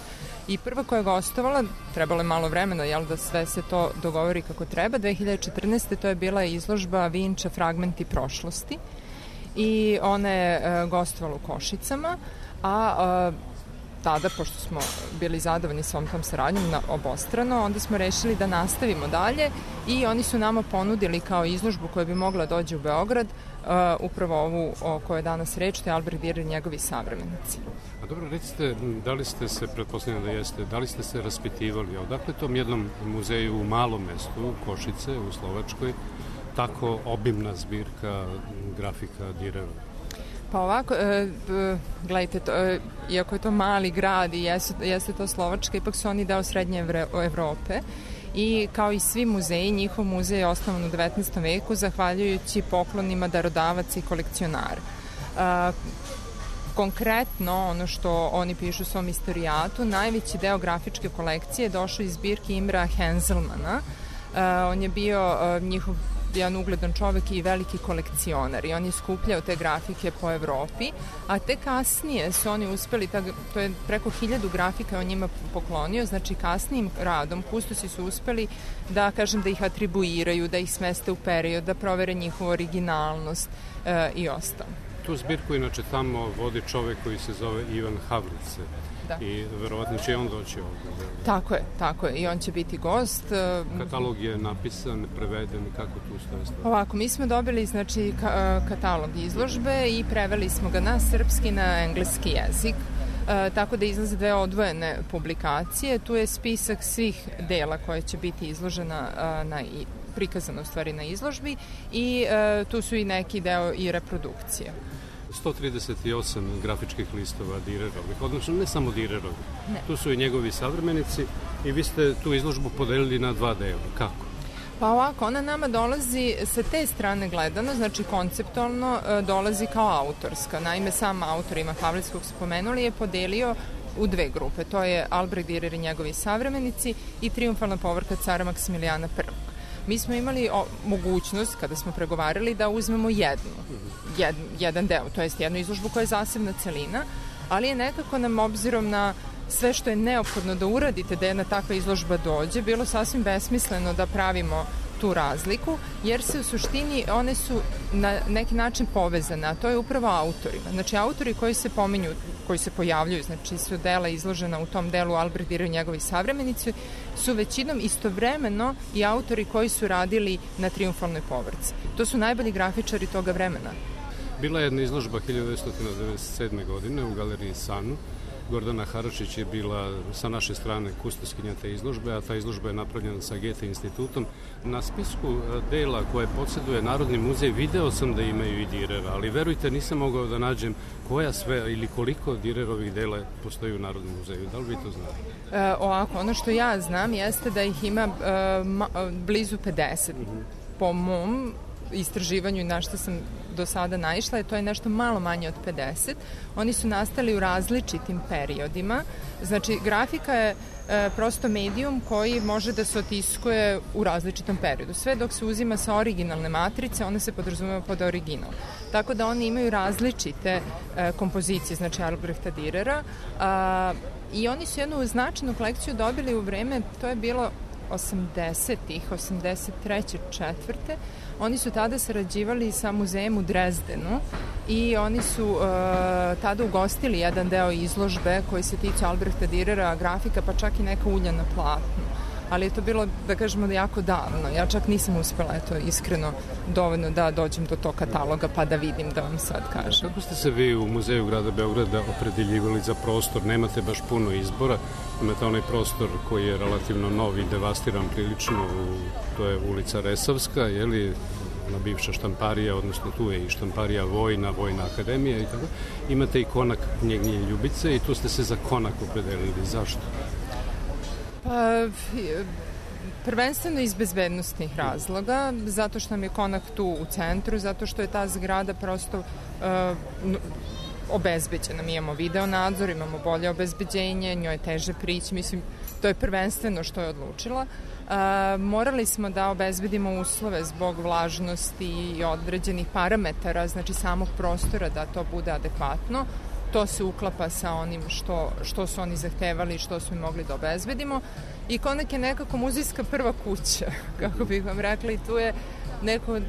I prva koja je gostovala, trebalo je malo vremena, da sve se to dogovori kako treba, 2014. to je bila izložba Vinča Fragmenti prošlosti i ona je gostovala u Košicama, a tada, pošto smo bili zadovoljni svom tom saradnjom obostrano, onda smo rešili da nastavimo dalje i oni su nama ponudili kao izložbu koja bi mogla dođe u Beograd, upravo ovu o kojoj je danas reč, to je Albrecht Dürer i njegovi savremenici. A dobro, recite, da li ste se, pretpostavljam da jeste, da li ste se raspitivali, odakle tom jednom muzeju u malom mestu, Košice, u Slovačkoj, tako obimna zbirka grafika Dürera? Pa ovako, gledajte, iako je to mali grad i jeste to Slovačka, ipak su oni deo srednje Evrope i kao i svi muzeji, njihov muzej je osnovan u 19. veku zahvaljujući poklonima darodavaca i kolekcionara. Konkretno, ono što oni pišu u svom istorijatu, najveći deo grafičke kolekcije je došao iz zbirke Imra Henzelmana. On je bio njihov jedan ugledan čovek i veliki kolekcionar i on je skupljao te grafike po Evropi, a te kasnije su oni uspeli, to je preko 1000 grafika on njima poklonio, znači kasnijim radom kustosi su uspeli da, kažem, da ih atribuiraju, da ih smeste u period, da provere njihovu originalnost i ostalo. Tu zbirku inače tamo vodi čovek koji se zove Ivan Havlice. Da. I verovatno će on doći ovdje. Tako je. I on će biti gost. Katalog je napisan, preveden, kako tu stoje stvari? Ovako, mi smo dobili katalog izložbe i preveli smo ga na srpski, na engleski jezik. Tako da izlaze 2 odvojene publikacije. Tu je spisak svih dela koje će biti izložena prikazano u stvari na izložbi i tu su i neki deo i reprodukcije. 138 grafičkih listova Dürerovih, odnosno ne samo Dürerovih. Tu su i njegovi savremenici i vi ste tu izložbu podelili na 2 dela. Kako? Pa ovako, ona nama dolazi sa te strane gledano, znači konceptualno dolazi kao autorska. Naime, sam autor Ivan Havlic, kog spomenuli, je podelio u 2 grupe. To je Albrecht Dürer i njegovi savremenici i Trijumfalna povorka cara Maksimilijana I. Mi smo imali mogućnost, kada smo pregovarali, da uzmemo jedan deo, to jest jednu izložbu koja je zasebna celina, ali je nekako nam, obzirom na sve što je neophodno da uradite da jedna takva izložba dođe, bilo sasvim besmisleno da pravimo tu razliku, jer se u suštini one su na neki način povezane, a to je upravo autorima. Znači, autori koji se pominju, koji se pojavljuju, znači su dela izložena u tom delu Albrecht Dürer i njegovi savremenici, su većinom istovremeno i autori koji su radili na Trijumfalnoj povorci. To su najbolji grafičari toga vremena. Bila je jedna izložba 1997. godine u galeriji Sanu Gordana Haračić je bila sa naše strane kustoskinja te izložbe, a ta izložba je napravljena sa Goethe institutom. Na spisku dela koje podsjeduje Narodni muzej video sam da imaju i Direra, ali verujte, nisam mogao da nađem koja sve ili koliko Direrovih dela postoji u Narodnom muzeju. Da li vi to znate? Ovako, ono što ja znam jeste da ih ima blizu 50. Po mom istraživanju i na što sam do sada naišla, to je nešto malo manje od 50. Oni su nastali u različitim periodima. Znači, grafika je prosto medijum koji može da se otiskuje u različitom periodu. Sve dok se uzima sa originalne matrice, one se podrazumeva pod original. Tako da oni imaju različite kompozicije, znači Albrehta Direra, i oni su jednu značajnu kolekciju dobili u vreme, to je bilo 80-ih, 83. 4. Oni su tada sarađivali sa muzejem u Drezdenu i oni su tada ugostili jedan deo izložbe koji se tiče Albrehta Direra, grafika, pa čak i neka ulja na platnu. Ali je to bilo, da kažemo, da jako davno. Ja čak nisam uspela, iskreno, dovoljno da dođem do tog kataloga pa da vidim, da vam sad kažem. Kako ste se vi u Muzeju grada Beograda opredeljivali za prostor? Nemate baš puno izbora. Imate onaj prostor koji je relativno nov i devastiran prilično, to je ulica Resavska, je li, na bivša štamparija, odnosno tu je i štamparija Vojna akademija i tako. Imate i konak Knjeginje Ljubice i tu ste se za konak opredelili. Zašto? Pa, prvenstveno iz bezbednostnih razloga, zato što nam je konak tu u centru, zato što je ta zgrada prosto obezbeđena. Mi imamo video nadzor, imamo bolje obezbeđenje, njoj je teže prići, mislim, to je prvenstveno što je odlučila. Morali smo da obezbedimo uslove zbog vlažnosti i određenih parametara, znači samog prostora, da to bude adekvatno. To se uklapa sa onim što su oni zahtevali i što smo mogli da obezbedimo. I konak je nekako muzejska prva kuća, kako bih vam rekla, i tu je neko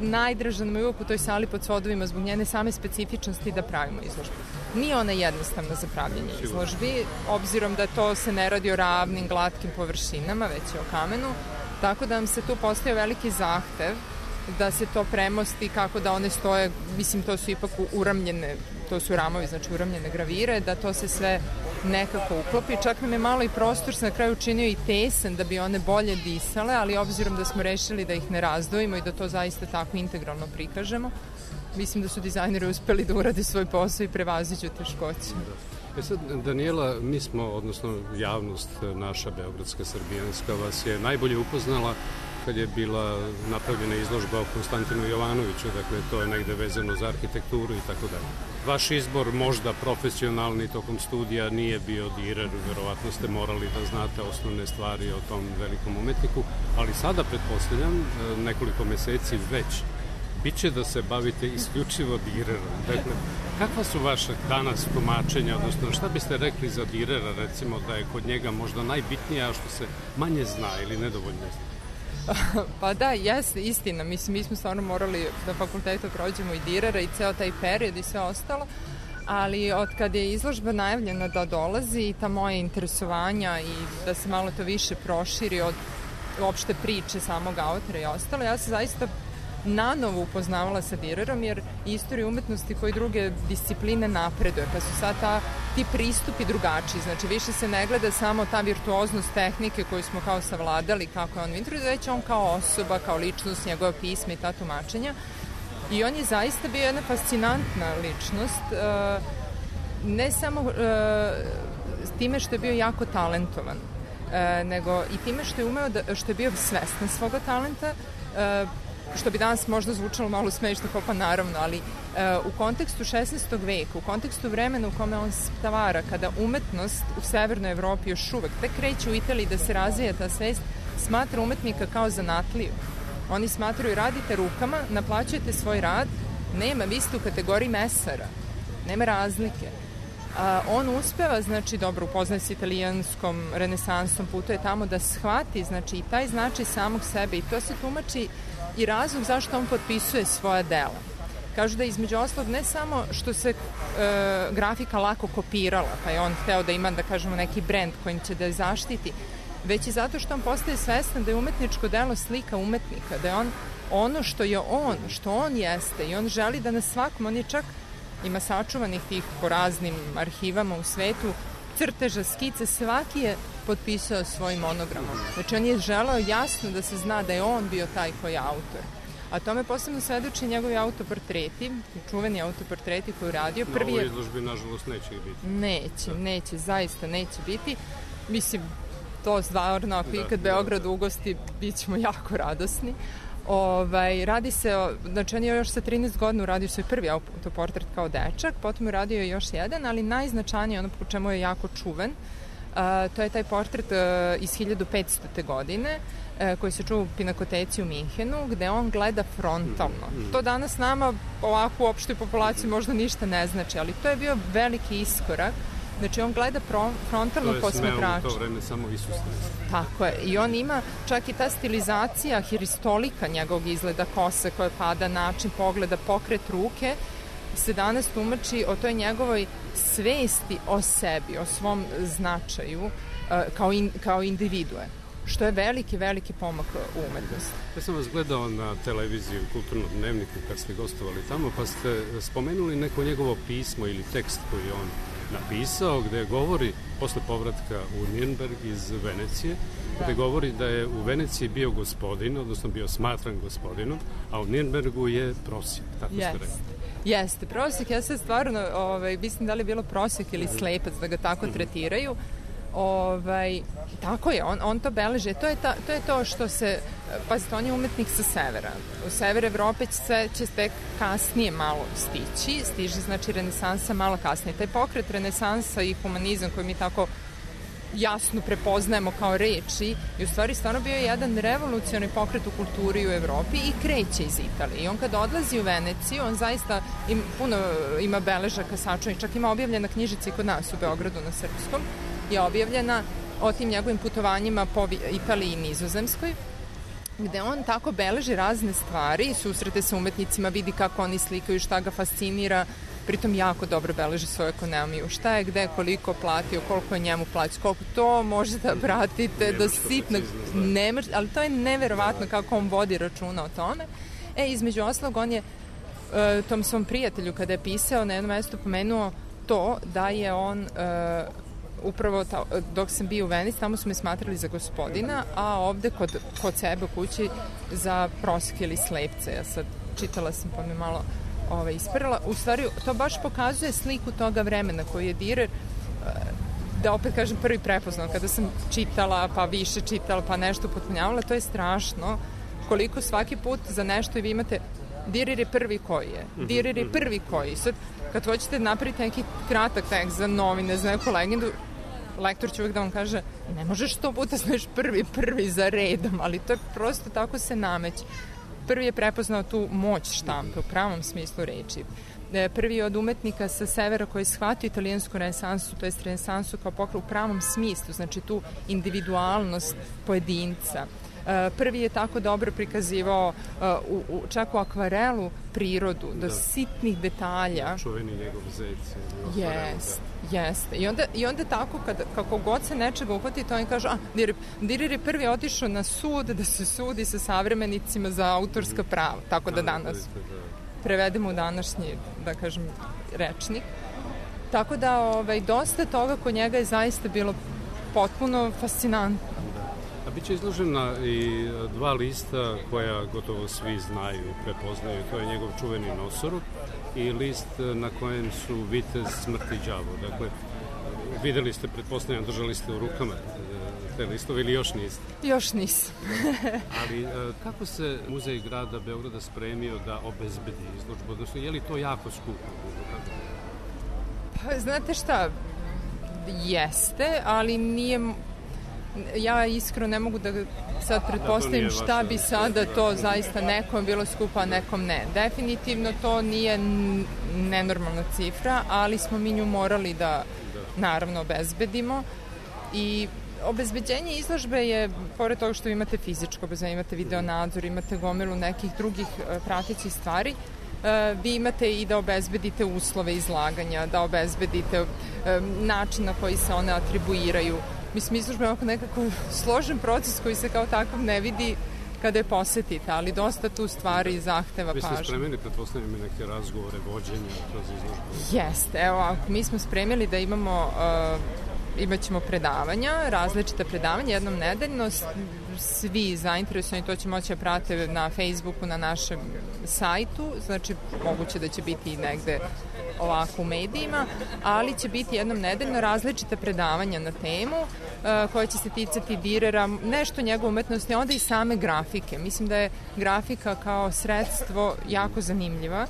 najdraža nam je uvijek u toj sali pod svodovima zbog njene same specifičnosti da pravimo izložbu. Nije ona jednostavna za pravljenje izložbi, obzirom da to se ne radi o ravnim, glatkim površinama, već je o kamenu, tako da nam se tu postoji veliki zahtev da se to premosti kako da one stoje, mislim, to su ipak uramljene, to su ramovi, znači uramljene gravire, da to se sve nekako uklopi. Čak nam je malo i prostor se na kraju učinio i tesan da bi one bolje disale, ali obzirom da smo rešili da ih ne razdvojimo i da to zaista tako integralno prikažemo, mislim da su dizajneri uspeli da urade svoj posao i prevaziđu teškoće. Sad, Danijela, mi smo, odnosno javnost naša beogradska, srbijanska, vas je najbolje upoznala kad je bila napravljena izložba o Konstantinu Jovanoviću, dakle to je negde vezano za arhitekturu i tako dalje. Vaš izbor možda profesionalni tokom studija nije bio Direr, verovatno ste morali da znate osnovne stvari o tom velikom umetniku, ali sada pretpostavljam nekoliko meseci već biće da se bavite isključivo Direrom. Dakle, kakva su vaše danas tumačenja, odnosno šta biste rekli za Direra, recimo da je kod njega možda najbitnija što se manje zna ili nedovoljno zna? Pa da, jeste, istina. Mislim, mi smo stvarno morali na fakultetu prođemo i Direra i ceo taj period i sve ostalo, ali od kad je izložba najavljena da dolazi i ta moja interesovanja i da se malo to više proširi od uopšte priče samog autora i ostalo, ja se zaista nanovo upoznavala sa Direrom, jer istorija umetnosti koji druge discipline napreduje, pa su sad ti pristupi drugačiji, znači više se ne gleda samo ta virtuoznost tehnike koju smo kao savladali, kako je on introducira, već on kao osoba, kao ličnost, njegove pisme i ta tumačenja. I on je zaista bio jedna fascinantna ličnost, ne samo time što je bio jako talentovan, nego i time što je umeo, što je bio svestan svoga talenta, što bi danas možda zvučalo malo smešno, pa naravno, ali u kontekstu 16. veka, u kontekstu vremena u kome on stvara, kada umetnost u Severnoj Evropi još uvek tek kreće u Italiji da se razvija ta svest, smatra umetnika kao zanatliju. Oni smatraju, radite rukama, naplaćujete svoj rad, nema, vi ste u kategoriji mesara, nema razlike. On uspeva, znači, dobro, upoznaje se italijanskom renesansom, putuje tamo da shvati, znači, i taj značaj samog sebe, i to se tumači i razlog zašto on potpisuje svoja dela. Kažu da između oslog ne samo što se grafika lako kopirala, pa je on hteo da ima, da kažemo, neki brend kojim će da je zaštiti, već i zato što on postaje svestan da je umetničko delo slika umetnika, da je on ono što je on, što on jeste, i on želi da na svakom, on je čak ima sačuvanih tih po raznim arhivama u svetu, crteža, skice, svaki je potpisao svoj monogramom. Znači on je želeo jasno da se zna da je on bio taj koji je autor. A tome posebno svedoči njegovi autoportreti, čuveni autoportreti koji je radio. Na ovoj izložbi, nažalost, neće biti. Neće, zaista neće biti. Mislim, to stvarno, ako ikad Beograd ugosti, bit ćemo jako radosni. Radi se, znači on je još sa 13 godina uradio svoj prvi autoportret kao dečak, potom je radio još jedan, ali najznačajnije ono po čemu je jako čuven, to je taj portret iz 1500. godine, koji se čuva u Pinakoteci u Minhenu, gde on gleda frontalno. To danas nama ovako u opštoj populaciji možda ništa ne znači, ali to je bio veliki iskorak. Znači on gleda frontalno posmatrača. To je smeo u to vreme samo Isus. Tako je. I on ima čak i ta stilizacija hiristolika njegovog izgleda, kose koje pada, način pogleda, pokret ruke, se danas tumači o toj njegovoj svesti o sebi, o svom značaju kao individue. Što je veliki pomak u umetnosti. Ja sam vas gledao na televiziji u Kulturnom dnevniku kad ste gostovali tamo, pa ste spomenuli neko njegovo pismo ili tekst koji je on napisao, gde govori posle povratka u Nürnberg iz Venecije, gde govori da je u Veneciji bio gospodin, odnosno bio smatran gospodinom, a u Nürnbergu je prosjek, tako ste rekli. Jeste, prosjek, ja sad stvarno, mislim da li je bilo prosjek ili slepac da ga tako tretiraju. Tako je, on to beleže. To je to što se, pazite, on je umetnik sa severa. U sever Evrope će tek kasnije malo stiže, znači renesansa malo kasnije. Taj pokret renesansa i humanizam koji mi tako jasno prepoznajemo kao reči i u stvari stvarno bio je jedan revolucionarni pokret u kulturi u Evropi i kreće iz Italije. I on kad odlazi u Veneciju, on zaista puno ima beležaka sačuvanih, čak ima objavljena knjižica i kod nas u Beogradu na srpskom, je objavljena o tim njegovim putovanjima po Italiji i Nizozemskoj, gde on tako beleži razne stvari, susrete sa umetnicima, vidi kako oni slikaju, šta ga fascinira, pritom jako dobro beleži svoju ekonomiju, šta je, gde, koliko platio, koliko je njemu plaći, koliko to možete da pratite do sitnog, ali to je neverovatno kako on vodi računa o tome. Između oslog, on je tom svom prijatelju kada je pisao na jednom mestu pomenuo to da je on upravo dok sam bio u Venici, tamo su me smatrali za gospodina, a ovde kod sebe u kući za prosjek ili slepce. Ja sad čitala sam pa me malo isprala. U stvari, to baš pokazuje sliku toga vremena koji je Dürer, da opet kažem, prvi prepoznao. Kada sam čitala, pa više čitala, pa nešto potpunjavala, to je strašno koliko svaki put za nešto i vi imate Dürer je prvi koji je. Dürer je prvi koji. Sad, kad hoćete napraviti neki kratak tekst za novine, za neku legendu, lektor će uvijek da vam kaže ne možeš 100 puta znaš prvi za redom, ali to je prosto tako se nameće. Prvi je prepoznao tu moć štampe u pravom smislu reči. Prvi je od umetnika sa severa koji je shvatio italijansku renesansu, to je renesansu kao pokret u pravom smislu, znači tu individualnost pojedinca. Prvi je tako dobro prikazivao čak u akvarelu prirodu, do sitnih detalja. Čuveni njegov zec. Jeste. I onda tako, kako god se nečega uhvati, to oni kažu, Dürer je prvi otišao na sud da se sudi sa savremenicima za autorska prava, tako da danas prevedemo u današnji, da kažem, rečnik. Tako da dosta toga kod njega je zaista bilo potpuno fascinantno. A bit će izložena i 2 lista koja gotovo svi znaju, prepoznaju. To je njegov čuveni nosorog i list na kojem su vitez, smrt i đavo. Dakle, videli ste, pretpostavljam, držali ste u rukama te listove ili još niste? Još nisam. Ali kako se Muzej grada Beograda spremio da obezbedi izložbu? Odnosno, je li to jako skupo? Pa, znate šta, jeste, ali nije... Ja iskreno ne mogu da sad pretpostavim šta bi sada to zaista nekom bilo skupo, a nekom ne. Definitivno to nije nenormalna cifra, ali smo mi nju morali da naravno obezbedimo i obezbeđenje izložbe je, pored toga što imate fizičko obezbeđenje, imate video nadzor, imate gomilu nekih drugih pratećih stvari, vi imate i da obezbedite uslove izlaganja, da obezbedite način na koji se one atribuiraju. Mislim, izložba je nekako složen proces koji se kao takav ne vidi kada je posetite, ali dosta tu stvari zahteva pažnju. Vi ste spremili, pretpostavljam, neke razgovore, vođenja kroz izložbu? Jeste, evo, mi smo spremili da imaćemo predavanja, različita predavanja, jednom nedeljno, svi zainteresovani to će moći da prate na Facebooku, na našem sajtu, znači moguće da će biti negde ovako u medijima, ali će biti jednom nedeljno različite predavanja na temu koje će se ticati Direra, nešto njegove umetnosti, onda i same grafike. Mislim da je grafika kao sredstvo jako zanimljiva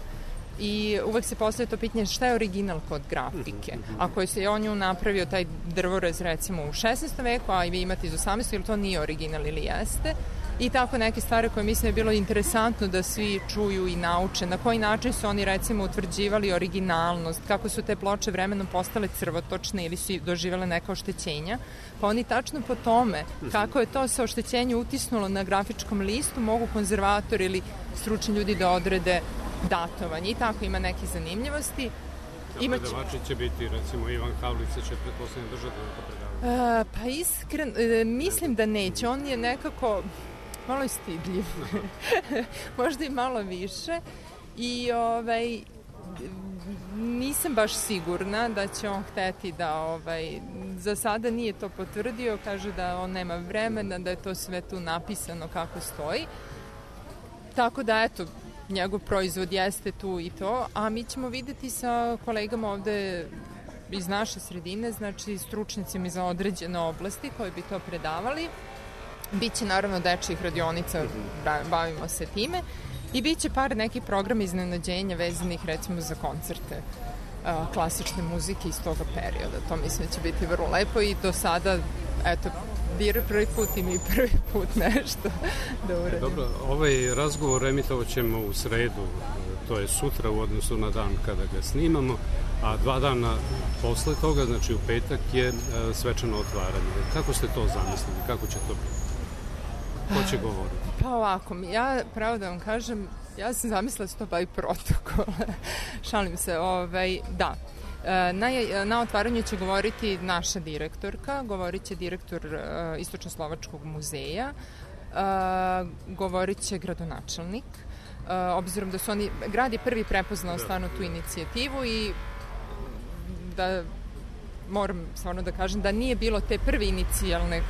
i uvek se postavlja to pitanje šta je original kod grafike. Ako je on nju napravio taj drvorez recimo u 16. veku, a i vi imate iz 18. ili to nije original ili jeste. I tako neke stvari koje mislim je bilo interesantno da svi čuju i nauče. Na koji način su oni recimo utvrđivali originalnost, kako su te ploče vremenom postale crvotočne ili su doživjele neka oštećenja. Pa oni tačno po tome kako je to se oštećenje utisnulo na grafičkom listu mogu konzervatori ili stručni ljudi da odrede datovanje. I tako ima neke zanimljivosti. Predavači će biti, recimo Ivan Havlica će pretpostavljeno držati na to predavanje. Pa iskreno, mislim da neće. On je nekako malo stidljiv. Možda i malo više. I nisam baš sigurna da će on hteti da za sada nije to potvrdio, kaže da on nema vremena, da je to sve tu napisano kako stoji. Tako da eto, njegov proizvod jeste tu i to, a mi ćemo videti sa kolegama ovde iz naše sredine, znači stručnicima za određene oblasti koji bi to predavali. Biće naravno dečjih radionica, bavimo se time, i biće par nekih programa iznenađenja vezanih recimo za koncerte klasične muzike iz toga perioda. To mislim da će biti vrlo lepo i do sada, eto, Direr prvi put i mi prvi put nešto da uradimo. Dobro, ovaj razgovor emitovat ćemo u sredu, to je sutra u odnosu na dan kada ga snimamo, a 2 dana posle toga, znači u petak, je svečano otvaranje. Kako ste to zamislili? Kako će to biti? Ko će govoriti? Pa ovako, ja pravo da vam kažem, ja sam zamislila da se to bavi protokol. Šalim se, da. Na otvaranju će govoriti naša direktorka, govorit će direktor Istočno-Slovačkog muzeja, govorit će gradonačelnik, obzirom da su oni, grad je prvi prepoznao stvarno tu inicijativu i da moram stvarno da kažem da nije bilo te prve inicijalne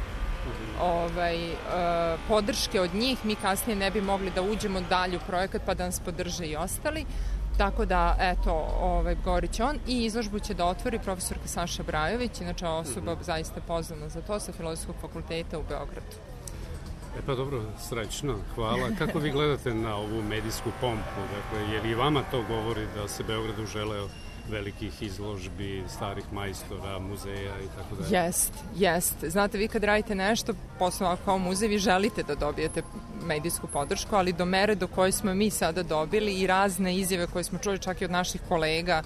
podrške od njih, mi kasnije ne bi mogli da uđemo dalje u projekat pa da nas podrže i ostali. Tako da, eto, govorit će on i izložbu će da otvori profesorka Saša Brajović, inače osoba zaista poznana za to sa Filozofskog fakulteta u Beogradu. Pa dobro, srećno, hvala. Kako vi gledate na ovu medijsku pompu? Dakle, jer i vama to govori da se Beogradu želeo velikih izložbi, starih majstora, muzeja i tako dalje? Jest. Znate, vi kad radite nešto, posle kao muzej, vi želite da dobijete medijsku podršku, ali do mere do koje smo mi sada dobili i razne izjave koje smo čuli čak i od naših kolega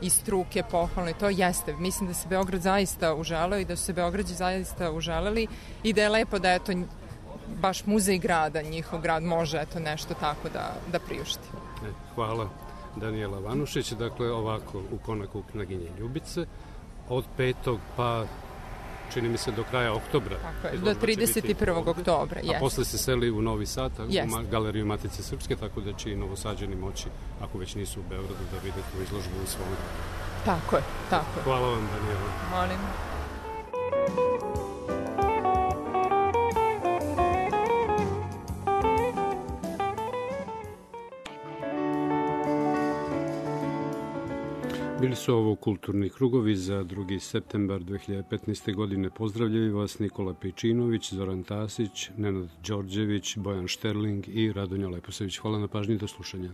iz struke, pohvalno, i to jeste. Mislim da se Beograd zaista uželeo i da su se Beograđi zaista uželeli i da je lepo da eto baš muzej grada, njihov grad može eto nešto tako da priušti. Hvala. Danijela Vanušić, dakle ovako u Konaku Knaginje Ljubice od 5. pa čini mi se do kraja oktobra. Tako je, do 31. oktobra, a posle se seli u Novi Sad, u Galeriju Matice Srpske, tako da će i Novosađani moći, ako već nisu u Beogradu, da vide tu izložbu u svom gradu. Tako je. Hvala vam, Danijela. Molim. Bili su ovo kulturni krugovi za 2. septembar 2015. godine. Pozdravljaju vas Nikola Pejčinović, Zoran Tasić, Nenad Đorđević, Bojan Šterling i Radonja Leposević. Hvala na pažnji, do slušanja.